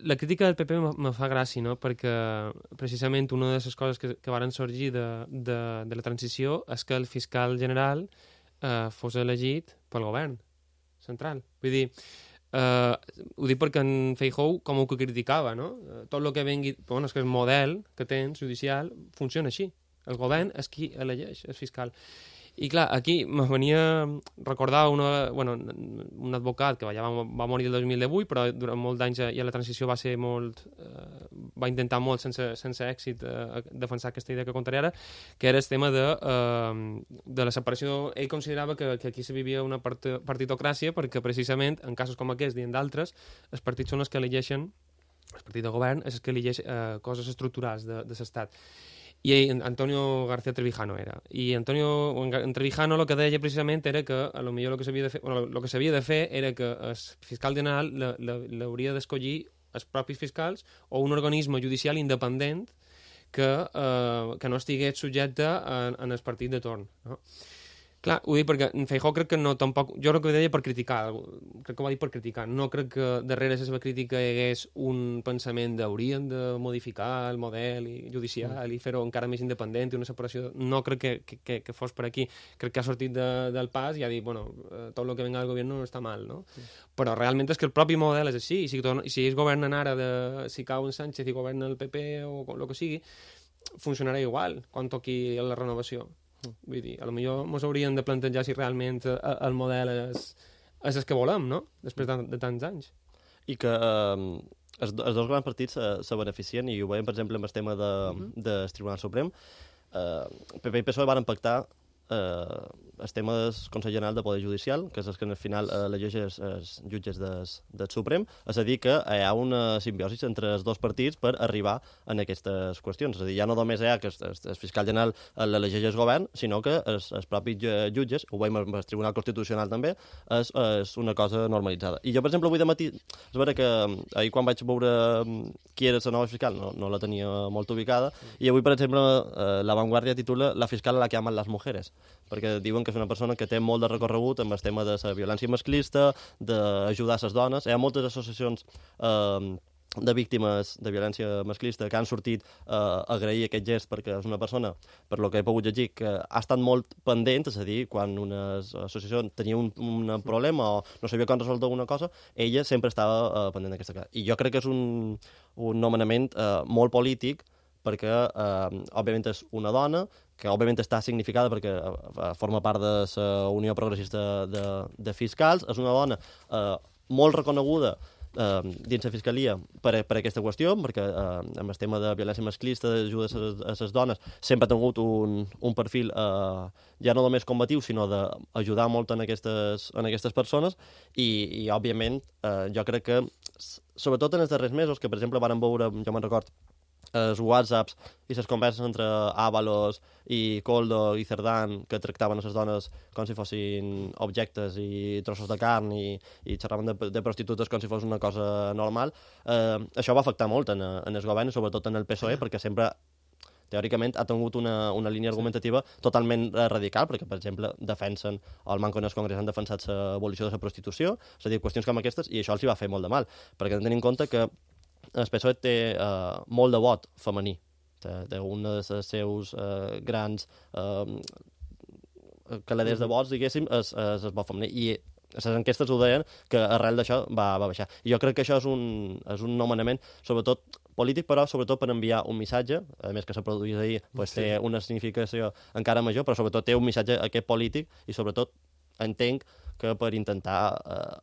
la crítica del PP me fa gràcia, no?, perquè precisament una de les coses que varen sorgir de la transició és que el fiscal general fos elegit pel govern central. Vull dir, ho dic perquè en Feijóo com ho que criticava, no? Tot el que vengui... Bueno, és que el model que tens judicial funciona així. El govern és qui elegeix, el fiscal. I clar, aquí me venia a recordar un advocat que va morir el 2018, però durant molts anys ja la transició va ser molt... va intentar molt sense èxit defensar aquesta idea que contaré ara, que era el tema de la separació. Ell considerava que aquí se vivia una partitocràcia perquè precisament en casos com aquests i en d'altres els partits són els que elegeixen, el partit de govern és el que elegeix coses estructurals de l'estat. I Antonio García Trevijano era. I Antonio Trevijano el que deia precisament era que a lo millor el que s'havia de fer era que el fiscal general l'hauria d'escollir els propis fiscals o un organisme judicial independent que no estigués subjecte en el partit de torn, no? Clar, ho dic perquè en Feijóo crec que no tampoc... Jo crec que ho deia per criticar, crec que ho va dir per criticar. No crec que darrere la seva crítica hi hagués un pensament d'haurien de modificar el model judicial i fer-ho encara més independent i una separació... No crec que fos per aquí. Crec que ha sortit del pas i ha dit, bueno, tot el que venga del govern no està mal, no? Però realment és que el propi model és així. I si ells governen ara, si cau en Sánchez i governa el PP o el que sigui, funcionarà igual quan toqui la renovació. Vull dir, potser ens hauríem de plantejar si realment el model és el que volem, no? Després de tants anys. I que els dos grans partits se beneficien, i ho veiem, per exemple, amb el tema del Tribunal Suprem. PP i PSOE van pactar el tema del Consell General de Poder Judicial, que és el que al final elegeix els jutges del Suprem, és a dir, que hi ha una simbiosi entre els dos partits per arribar a aquestes qüestions. És a dir, ja no només hi ha que el fiscal general l'elegeix el govern, sinó que els propis jutges, ho veiem amb el Tribunal Constitucional també, és una cosa normalitzada. I jo, per exemple, avui de matí, és vera que ahir quan vaig veure qui era la nova fiscal no la tenia molt ubicada, i avui, per exemple, La Vanguardia titula La fiscal a la que aman las mujeres, perquè diuen que és una persona que té molt de recorregut amb el tema de la violència masclista, d'ajudar les dones. Hi ha moltes associacions de víctimes de violència masclista que han sortit a agrair aquest gest, perquè és una persona, per lo que he pogut llegir, que ha estat molt pendent, és a dir, quan una associació tenia un problema o no sabia com resoldre una cosa, ella sempre estava pendent d'aquesta cosa. I jo crec que és un nomenament molt polític, perquè, òbviament, és una dona, que òbviament està significada perquè forma part de la Unió Progressista de Fiscals, és una dona molt reconeguda dins la Fiscalia per aquesta qüestió, perquè amb el tema de violència masclista, d'ajuda a les dones, sempre ha tingut un perfil ja no només combatiu, sinó d'ajudar molt en aquestes persones, i òbviament, jo crec que, sobretot en els darrers mesos, que per exemple varen veure, jo me'n record, els whatsapps i les converses entre Ábalos i Koldo i Cerdán, que tractaven a les dones com si fossin objectes i trossos de carn i xerraven de prostitutes com si fos una cosa normal, això va afectar molt en el govern, sobretot en el PSOE, perquè sempre teòricament ha tingut una línia argumentativa totalment radical, perquè, per exemple, defensen, o el Manco en el Congrés han defensat l'abolició de la prostitució, és a dir, qüestions com aquestes, i això els hi va fer molt de mal, perquè hem de tenir en compte que el PSOE té molt de vot femení. Té un dels seus grans caladers de vots, diguéssim, és el vot femení. I les enquestes ho deien que arrel d'això va baixar. I jo crec que això és un nomenament, sobretot polític, però sobretot per enviar un missatge, a més que se produís ahir, pues, té una significació encara major, però sobretot té un missatge aquest polític i sobretot entenc que per intentar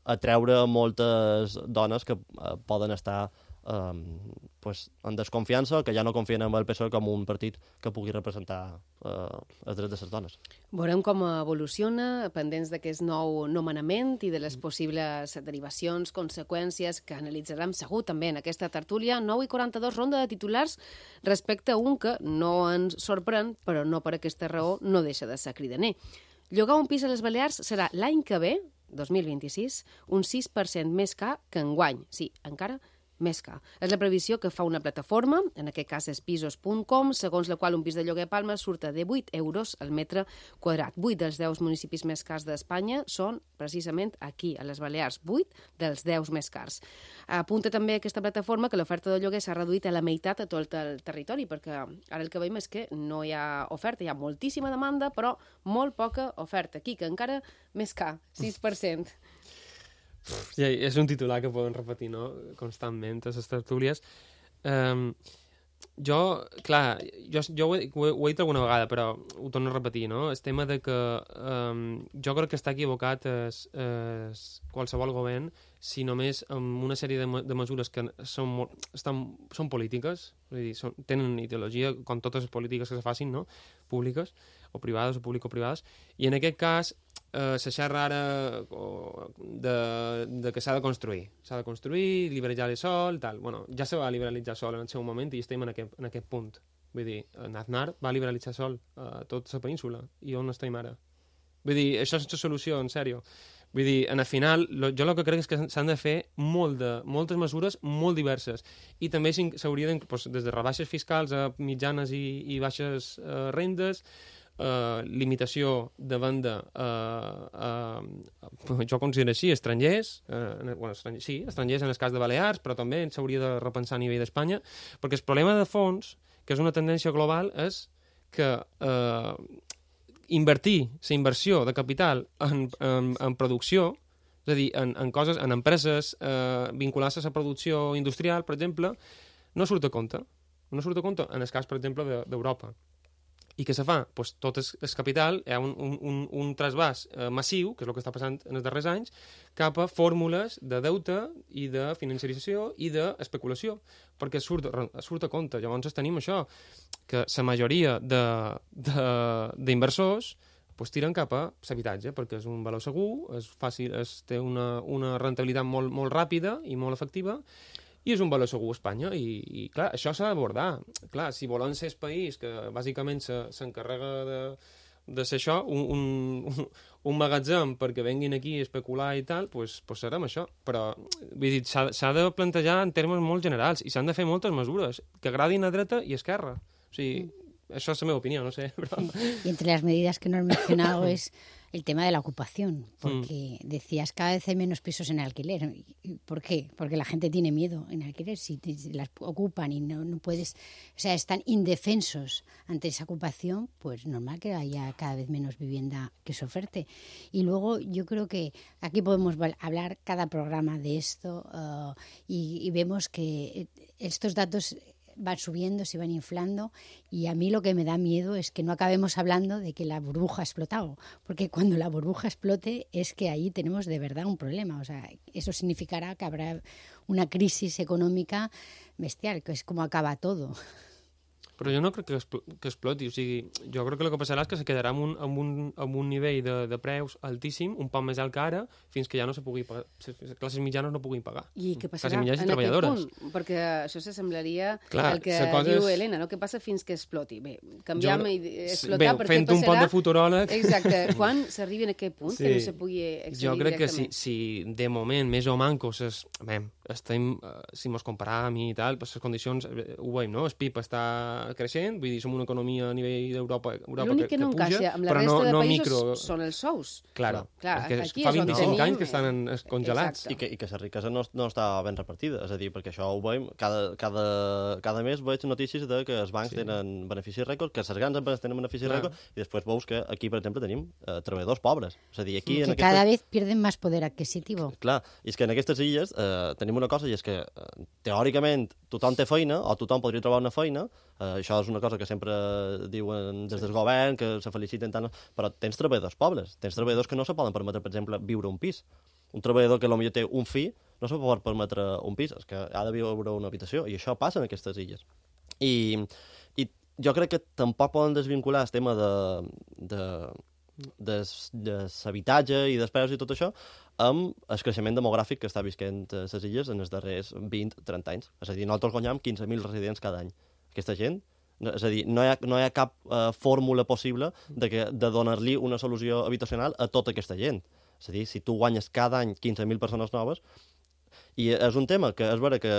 atreure moltes dones que poden estar en desconfiança, que ja no confien en el PSOE com un partit que pugui representar els drets de les dones. Veurem com evoluciona, pendents d'aquest nou nomenament i de les possibles derivacions, conseqüències que analitzarem segur també en aquesta tertúlia. 9:42, ronda de titulars respecte a un que no ens sorprèn, però no per aquesta raó no deixa de ser cridaner. Llogar un pis a les Balears serà l'any que ve, 2026, un 6% més car que enguany. Sí, encara més car. És la previsió que fa una plataforma, en aquest cas és pisos.com, segons la qual un pis de lloguer a Palma surta de 8 euros al metre quadrat. 8 dels 10 municipis més cars d'Espanya són precisament aquí, a les Balears. 8 dels 10 més cars. Apunta també aquesta plataforma que l'oferta de lloguer s'ha reduït a la meitat a tot el territori, perquè ara el que veiem és que no hi ha oferta, hi ha moltíssima demanda, però molt poca oferta. Aquí, que encara més car, 6%. Ja, és un titular que poden repetir, no?, constantment a les tertúlies. Jo ho he dit alguna vegada, però ho torno a repetir, no? El tema de que jo crec que està equivocat qualsevol govern si només amb una sèrie de mesures que són polítiques, és a dir, tenen ideologia, com totes les polítiques que se facin, no?, públiques o privades o público-privades, i en aquest cas se xerra ara de que s'ha de construir, liberalitzar el sol, tal. Bueno, ja se va liberalitzar el sol en el seu moment i estem en aquest punt. Vull dir, Aznar va liberalitzar el sol a tota la península, i on estem ara? Vull dir, això és la solució, en sèrio. Vull dir, en el final, jo el que crec és que s'han de fer moltes mesures molt diverses, i també s'hauria des de rebaixes fiscals a mitjanes i baixes rendes, limitació de venda jo considero així, estrangers, estrangers en el cas de Balears, però també s'hauria de repensar a nivell d'Espanya, perquè el problema de fons, que és una tendència global, és que invertir la inversió de capital en producció, és a dir, en coses, en empreses vinculades a la producció industrial, per exemple, no surt a compte. No surt a compte en el cas, per exemple, d'Europa. I què se fa? Pues tot el capital, hi ha un trasbàs massiu, que és el que està passant en els darrers anys, cap a fórmules de deute i de financiarització i d'especulació, perquè surt a compte. Llavors tenim això, que la majoria d'inversors tiren cap a l'habitatge, perquè és un valor segur, és fàcil, té una rentabilitat molt ràpida i molt efectiva, i és un valor segur a Espanya, i clar, això s'ha d'abordar. Clar, si volem ser el país que bàsicament s'encarrega de ser això, un magatzem perquè venguin aquí a especular i tal, doncs serem això. Però vull dir, s'ha de plantejar en termes molt generals i s'han de fer moltes mesures que agradin a dreta i a esquerra. O sigui, eso es mi opinión, no sé. Pero... Y entre las medidas que no has mencionado es el tema de la ocupación, porque decías cada vez hay menos pisos en alquiler. ¿Por qué? Porque la gente tiene miedo en alquiler. Si las ocupan y no puedes, o sea, están indefensos ante esa ocupación, pues normal que haya cada vez menos vivienda que se oferte. Y luego yo creo que aquí podemos hablar cada programa de esto y vemos que estos datos van subiendo, se van inflando, y a mí lo que me da miedo es que no acabemos hablando de que la burbuja ha explotado, porque cuando la burbuja explote es que ahí tenemos de verdad un problema. O sea, eso significará que habrá una crisis econòmica bestial, que és com acaba todo. Però jo no crec que exploti, o sigui, jo crec que el que passarà és que se quedarà amb un nivell de preus altíssim, un poc més alt que ara, fins que ja no se pugui pagar, les classes mitjanes no puguin pagar. I què passarà en aquest punt? Perquè això s'assemblaria al que diu Helena, no? Què passa fins que exploti? Bé, canviam i explotar, perquè fent un pot de futuròleg... Exacte, quan s'arribi a aquest punt que no se pugui excedir jo crec directament? Que si de moment més o manco estem, si mos comparam i tal, les condicions, ho veiem, no? El PIB està creixent, vull dir, som una economia a nivell d'Europa l'únic que no encaixa amb la resta de països són els sous. Clar, fa 25 anys que estan congelats. I que la riquesa no està ben repartida, és a dir, perquè això ho veiem, cada mes veig notícies de que els bancs tenen beneficis rècord, que les grans empreses tenen beneficis rècord, i després veus que aquí, per exemple, tenim treballadors pobres. És a dir, aquí... Que cada vez pierden más poder adquisitivo. Clar, i és que en aquestes illes tenim una cosa, i és que teòricament tothom té feina, o tothom podria trobar una feina, això és una cosa que sempre diuen des del govern, que se feliciten tant, però tens treballadors pobres, tens treballadors que no se poden permetre, per exemple, viure un pis. Un treballador que potser té un fill no se pot permetre un pis, és que ha de viure una habitació, i això passa en aquestes illes. I jo crec que tampoc poden desvincular el tema d'habitatge i dels preus i tot això amb el creixement demogràfic que està visquent a les illes en els darrers 20-30 anys. És a dir, nosaltres guanyam 15.000 residents cada any. Aquesta gent, és a dir, no hi ha cap fórmula possible de donar-li una solució habitacional a tota aquesta gent. És a dir, si tu guanyes cada any 15.000 persones noves, i és un tema que és vera que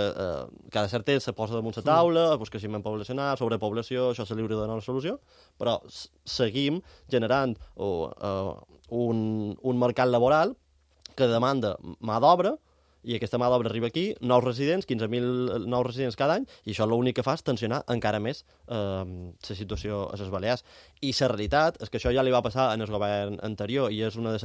cada cert temps se posa damunt la taula, el creixement poblacional, sobrepoblació, això se li hauria de donar una solució, però seguim generant un mercat laboral que demanda mà d'obra, i aquesta mà d'obra arriba aquí, nous residents, 15.000 nous residents cada any, i això l'únic que fa és tensionar encara més la situació a les Balears. I la realitat és que això ja li va passar en el govern anterior, i és un dels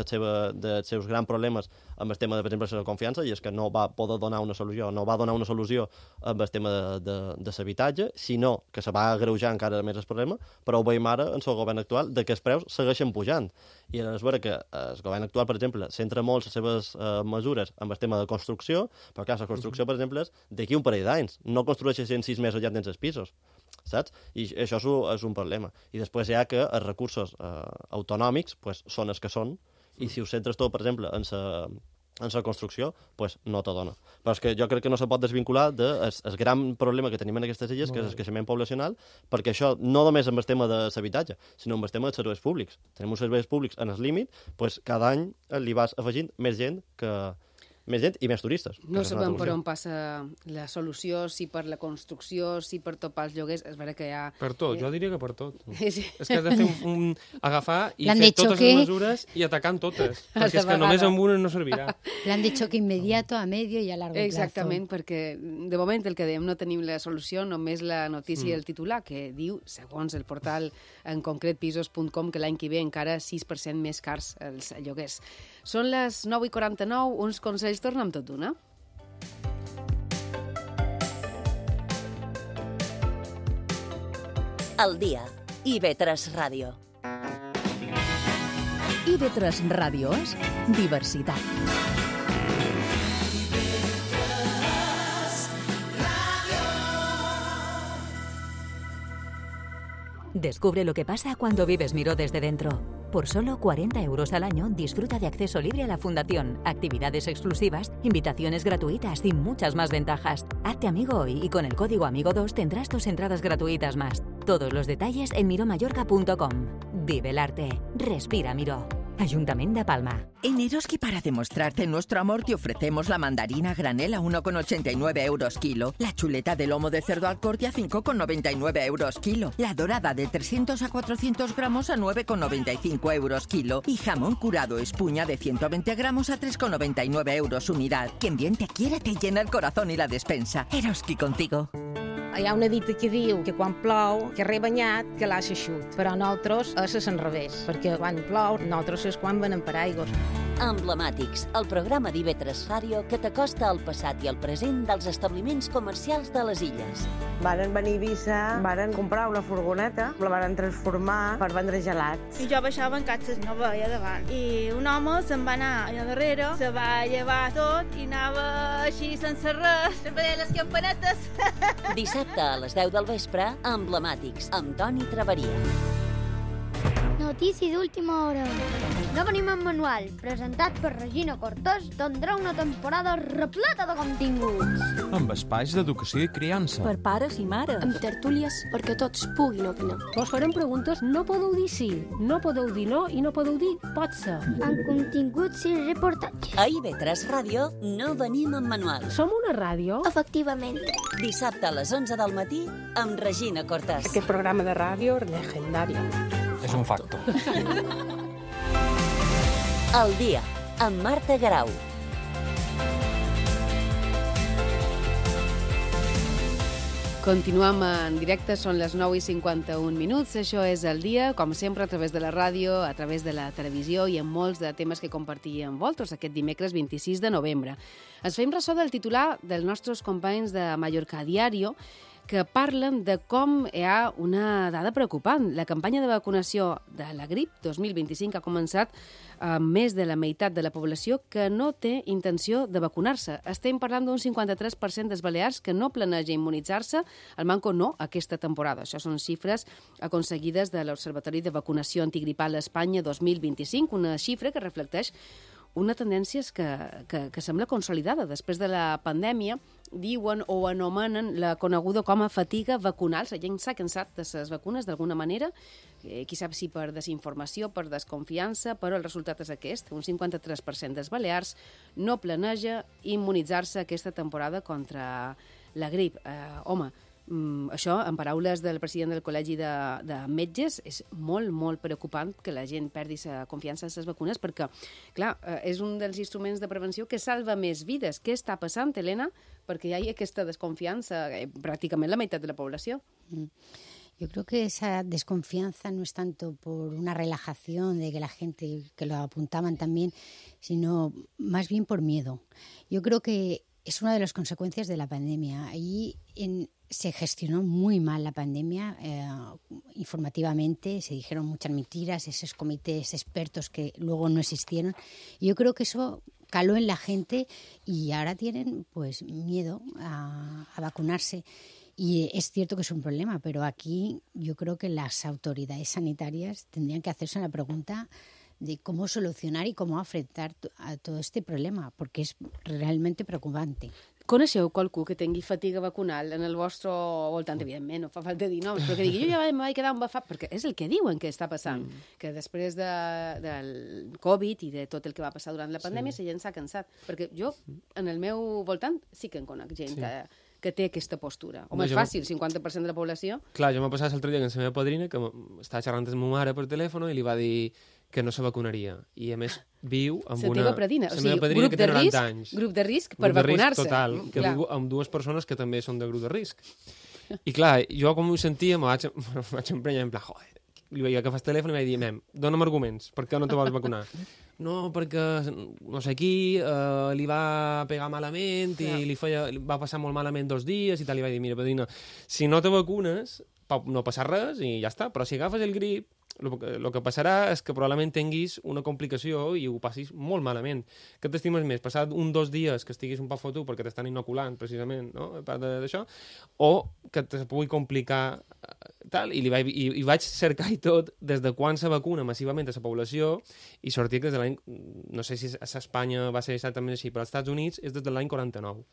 seus grans problemes amb el tema, per exemple, de la confiança, i és que no va poder donar una solució, no va donar una solució amb el tema de l'habitatge, sinó que se va agreujar encara més el problema, però ho veiem ara en el govern actual, de que els preus segueixen pujant. I és vera que el govern actual, per exemple, centra molt les seves mesures amb el tema de construcció, però clar, la construcció, per exemple, és d'aquí un parell d'anys. No construeixes en 6 mesos ja tens els pisos, saps? I això és un problema. I després hi ha que els recursos autonòmics són els que són, i si ho centres tot, per exemple, en la construcció, no te dona. Però és que jo crec que no se pot desvincular del gran problema que tenim en aquestes illes, que és el creixement poblacional, perquè això no només amb el tema de l'habitatge, sinó amb el tema dels serveis públics. Tenim uns serveis públics en el límit, cada any li vas afegint més gent que més gent i més turistes. No sabem per on passa la solució, si per la construcció, si per topar els lloguers. És vera que hi ha... Per tot, jo diria que per tot. Sí. És que has de fer agafar i fer totes les mesures i atacar amb totes, perquè és que només amb una no servirà. Plan de xoc inmediato, a medio i a largo plazo. Exactament, perquè de moment el que dèiem no tenim la solució, només la notícia i el titular, que diu, segons el portal en concret pisos.com, que l'any que ve encara 6% més cars els lloguers. Són les 9:49, uns consells tornen amb tot d'una. Al dia. IB3 Ràdio. IB3 Ràdio és diversitat. Descubre lo que pasa cuando vives Miró desde dentro. Por solo 40 euros al año disfruta de acceso libre a la fundación, actividades exclusivas, invitaciones gratuitas y muchas más ventajas. Hazte amigo hoy y con el código AMIGO2 tendrás 2 entradas gratuitas más. Todos los detalles en miromallorca.com. Vive el arte. Respira Miró. Ayuntamiento de Palma. En Eroski, para demostrarte nuestro amor, te ofrecemos la mandarina a granel a 1,89 euros kilo, la chuleta de lomo de cerdo al corte a 5,99 euros kilo, la dorada de 300 a 400 gramos a 9,95 euros kilo y jamón curado espuña de 120 gramos a 3,99 euros unidad. Quien bien te quiere te llena el corazón y la despensa. Eroski contigo. Hi ha una dita que diu que quan plou, que rebanyat, que l'ha eixut. Però nosaltres és al revés, perquè quan plou, nosaltres és quan venem per aigües. Emblemàtics, el programa d'IB3 Ràdio que t'acosta al passat i al present dels establiments comercials de les illes. Varen venir a Eivissa, varen comprar una furgoneta, la varen transformar per vendre gelats. I jo baixava en catxes, no veia davant. I un home se'n va anar allà darrere, se va llevar tot i anava així sense res, sempre deia les campanetes. Dissabte a les 10 del vespre, Emblemàtics, amb Toni Traveria. Notícia d'última hora. No venim en manual, presentat per Regina Cortés, tindrà una temporada repleta de continguts. Amb espais d'educació i criança. Per pares i mares. Amb tertúlies perquè tots puguin opinar. Vos farem preguntes, no podeu dir sí, no podeu dir no i no podeu dir pot ser. Amb continguts i reportatges. A IB3 Ràdio no venim en manual. Som una ràdio? Efectivament. Dissabte a les 11 del matí amb Regina Cortés. Aquest programa de ràdio legendari. És un facto. El dia, amb Marta Garau. Continuem en directe, són les 9:51. Això és El dia, com sempre, a través de la ràdio, a través de la televisió i en molts de temes que compartíem amb vosaltres aquest dimecres 26 de novembre. Ens fem ressò del titular dels nostres companys de Mallorca Diario, que parlen de com hi ha una dada preocupant. La campanya de vacunació de la grip 2025 ha començat amb més de la meitat de la població que no té intenció de vacunar-se. Estem parlant d'un 53% dels balears que no planeja immunitzar-se, el manco no aquesta temporada. Això són xifres aconseguides de l'Observatori de Vacunació Antigripal a Espanya 2025, una xifra que reflecteix una tendència que sembla consolidada. Després de la pandèmia, diuen o anomenen la coneguda com a fatiga vacunal. La gent s'ha cansat de les vacunes d'alguna manera, qui sap si per desinformació, per desconfiança, però el resultat és aquest. Un 53% dels balears no planeja immunitzar-se aquesta temporada contra la grip. Això, en paraules del president del Col·legi de Metges, és molt, molt preocupant que la gent perdi la confiança en les vacunes perquè, clar, és un dels instruments de prevenció que salva més vides. Què està passant, Helena? Perquè hi ha aquesta desconfianza, pràcticament la meitat de la població. Yo creo que esa desconfianza no es tanto por una relajación de que la gente, que lo apuntaban también, sino más bien por miedo. Yo creo que es una de las consecuencias de la pandemia. Ahí se gestionó muy mal la pandemia informativamente, se dijeron muchas mentiras, esos comités expertos que luego no existieron. Y yo creo que eso caló en la gente y ahora tienen pues miedo a vacunarse. Y es cierto que es un problema, pero aquí yo creo que las autoridades sanitarias tendrían que hacerse una pregunta de cómo solucionar y cómo afrontar a todo este problema, porque es realmente preocupante. Coneixeu qualcú que tingui fatiga vacunal en el vostre voltant? Evidentment, no fa falta dir noms, però que digui, jo ja em vaig quedar embafat, perquè és el que diuen que està passant, que després del Covid i de tot el que va passar durant la pandèmia, la gent s'ha cansat. Perquè jo, en el meu voltant, sí que en conec gent que té aquesta postura. Home, és fàcil, 50% de la població. Clar, jo m'ha passat l'altre dia amb la meva padrina, que estava xerrant amb ma mare per telèfon i li va dir que no se vacunaria. I, a més, viu amb una... La teva padrina, o sigui, grup de risc, grup de risc per vacunar-se. Total, que viu amb dues persones que també són de grup de risc. I clar, jo com ho sentia, me vaig emprenyar en plan, joder, li vaig agafar el telèfon i vaig dir, dona'm arguments, per què no te vols vacunar? No, perquè no sé qui li va pegar malament i va passar molt malament 2 dies i tal, li vaig dir, mira, padrina, si no te vacunes, no passa res i ja està, però si agafes el grip, el que passarà és que probablement tinguis una complicació i ho passis molt malament. Què t'estimes més? Passar 1 o 2 dies que estiguis un poc fotut perquè t'estan inoculant, precisament, no? A part d'això, o que te pugui complicar tal, i vaig cercar i tot des de quan se vacuna massivament a la població i sortia que des de l'any, no sé si a Espanya va ser exactament així, però als Estats Units és des de l'any 49.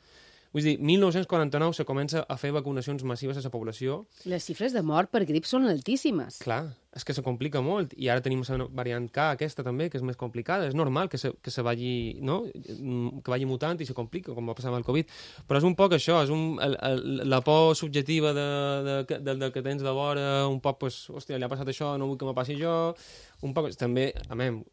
Vull dir, 1949 se comença a fer vacunacions massives a la població. Les xifres de mort per grip són altíssimes. Clar, és que se complica molt. I ara tenim la variant K, aquesta també, que és més complicada. És normal que se vagi, no? Que vagi mutant i se complica, com va passar amb el Covid. Però és un poc això, és la por subjectiva del que tens de vora, un poc, pues, hòstia, li ha passat això, no vull que me passi jo. Un poc, també,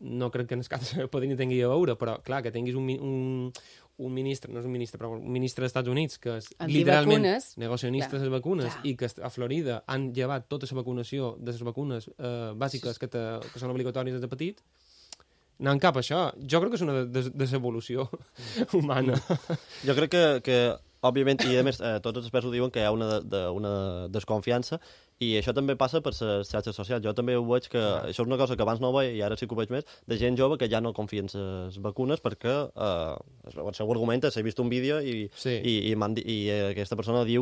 no crec que en el cas de Podrini tingui a veure, però clar, que tinguis un ministre, no és un ministre, però un ministre dels Estats Units que és literalment negacionista de les vacunes i que a Florida han llevat tota la vacunació de les vacunes bàsiques que són obligatòries des de petit, anant cap a això. Jo crec que és una desevolució humana. Jo crec que òbviament, i a més tots els experts ho diuen, que hi ha una desconfiança, i això també passa per les xarxes socials. Jo també ho veig que això és una cosa que abans no ho veia i ara sí que ho veig més, de gent jove que ja no confia en les vacunes perquè el seu argument és he vist un vídeo i aquesta persona diu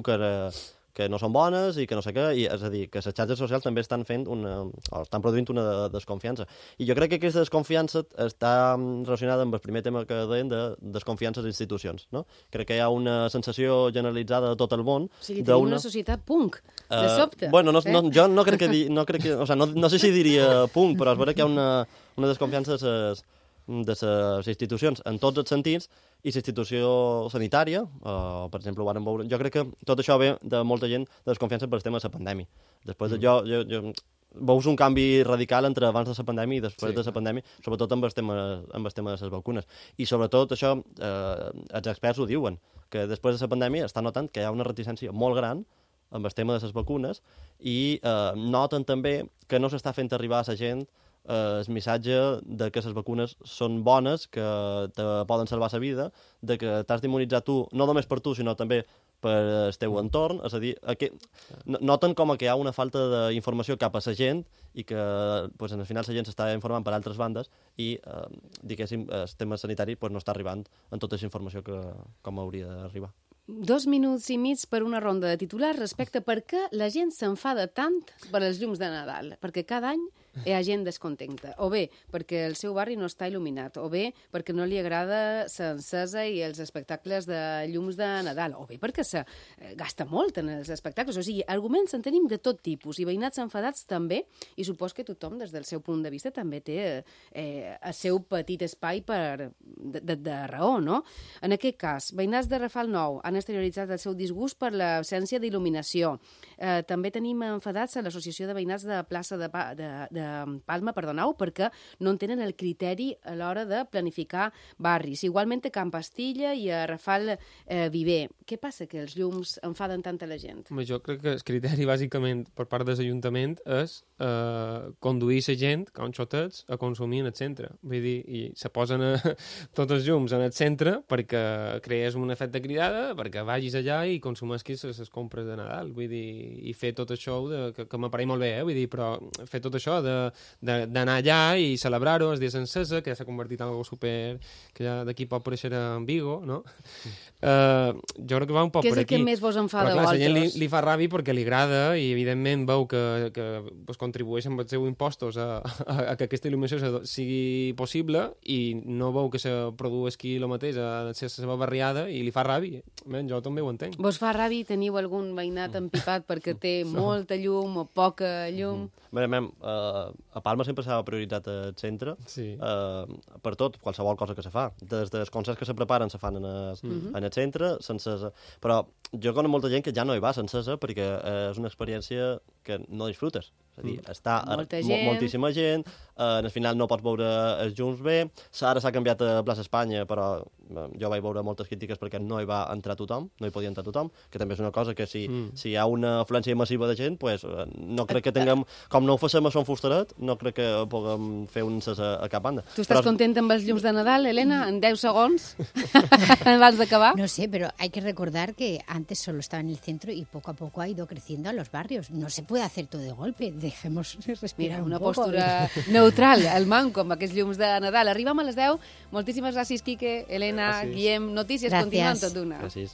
que no són bones i que no sé què, i és a dir, que les xarxes socials també estan produint una desconfiança. I jo crec que aquesta desconfiança està relacionada amb el primer tema que deien de desconfiança a les institucions, no? Crec que hi ha una sensació generalitzada de tot el món. O sigui, tenim una societat punk, de sobte. Bueno, jo no crec que... O sigui, no sé si diria punk, però és vera que hi ha una desconfiança de les institucions en tots els sentits, i la institució sanitària, per exemple, ho vàrem veure. Jo crec que tot això ve de molta gent de desconfiança per el tema de la pandèmia. Després veus un canvi radical entre abans de la pandèmia i després de la pandèmia, sobretot amb el tema de les vacunes. I sobretot això, els experts ho diuen, que després de la pandèmia està notant que hi ha una reticència molt gran amb el tema de les vacunes i noten també que no s'està fent arribar a la gent el missatge de que les vacunes són bones, que te poden salvar la vida, de que t'has d'immunitzar tu, no només per tu, sinó també per el teu entorn. És a dir, noten com que hi ha una falta d'informació cap a la gent i que pues, al final la gent s'està informant per altres bandes i, diguéssim, el tema sanitari pues, no està arribant en tota la informació com hauria d'arribar. 2 minuts i mig per una ronda de titulars respecte a per què la gent s'enfada tant per els llums de Nadal. Perquè cada any hi ha gent descontenta. O bé perquè el seu barri no està il·luminat, o bé perquè no li agrada l'encesa i els espectacles de llums de Nadal, o bé perquè se gasta molt en els espectacles. O sigui, arguments en tenim de tot tipus, i veïnats enfadats també, i supos que tothom, des del seu punt de vista, també té el seu petit espai de raó, no? En aquest cas, veïnats de Rafal Nou han exterioritzat el seu disgust per l'absència d'il·luminació. També tenim enfadats a l'Associació de Veïnats de Plaça de Palma, perquè no en tenen el criteri a l'hora de planificar barris. Igualment a Can Pastilla i a Rafal Viver. Què passa que els llums enfaden tant a la gent? Jo crec que el criteri, bàsicament, per part de l'Ajuntament és conduir la gent, com xotets, a consumir en el centre. Vull dir, i se posen tots els llums en el centre perquè crees un efecte cridada, perquè vagis allà i consumesquis les compres de Nadal. Vull dir, i fer tot això, que m'apareix molt bé, vull dir, però fer tot això de d'anar allà i celebrar-ho, els dies encesa, que ja s'ha convertit en algo super... que ja d'aquí pot aparèixer en Vigo, no? Jo crec que va un poc per aquí. Què és el que més vos enfada a vosaltres? Però clar, la gent li fa ràbia perquè li agrada i, evidentment, veu que pues, contribueix amb els seus impostos a que aquesta il·luminació sigui possible i no veu que se produeixi el mateix a la seva barriada i li fa ràbia. Jo també ho entenc. Vos fa ràbia i teniu algun veïnat empipat perquè té molta llum o poca llum? A Palma sempre s'ha prioritat el centre per tot, qualsevol cosa que se fa. Des dels concerts que se preparen se fan en el centre, s'encesa. Però jo conec molta gent que ja no hi va s'encesa perquè és una experiència que no disfrutes. És a dir, està moltíssima gent, al final no pots veure els llums bé, ara s'ha canviat a Plaça Espanya, però jo vaig veure moltes crítiques perquè no hi va entrar tothom, no hi podia entrar tothom, que també és una cosa que si hi ha una afluència massiva de gent, pues, no crec que tinguem, com no ho facem a Son Fustaret, no crec que puguem fer un encès a cap banda. Tu estàs contenta amb els llums de Nadal, Elena? En 10 segons? Abans d'acabar. No sé, pero hay que recordar que antes solo estaba en el centro y poco a poco ha ido creciendo a los barrios. No se puede hacer todo de golpe. Dejemos respirar una un poco. Postura neutral, el manco, amb aquests llums de Nadal. Arribem a les 10. Moltíssimes gràcies, Quique, Elena, Guillem. Notícies, continuant tot d'una. Gràcies.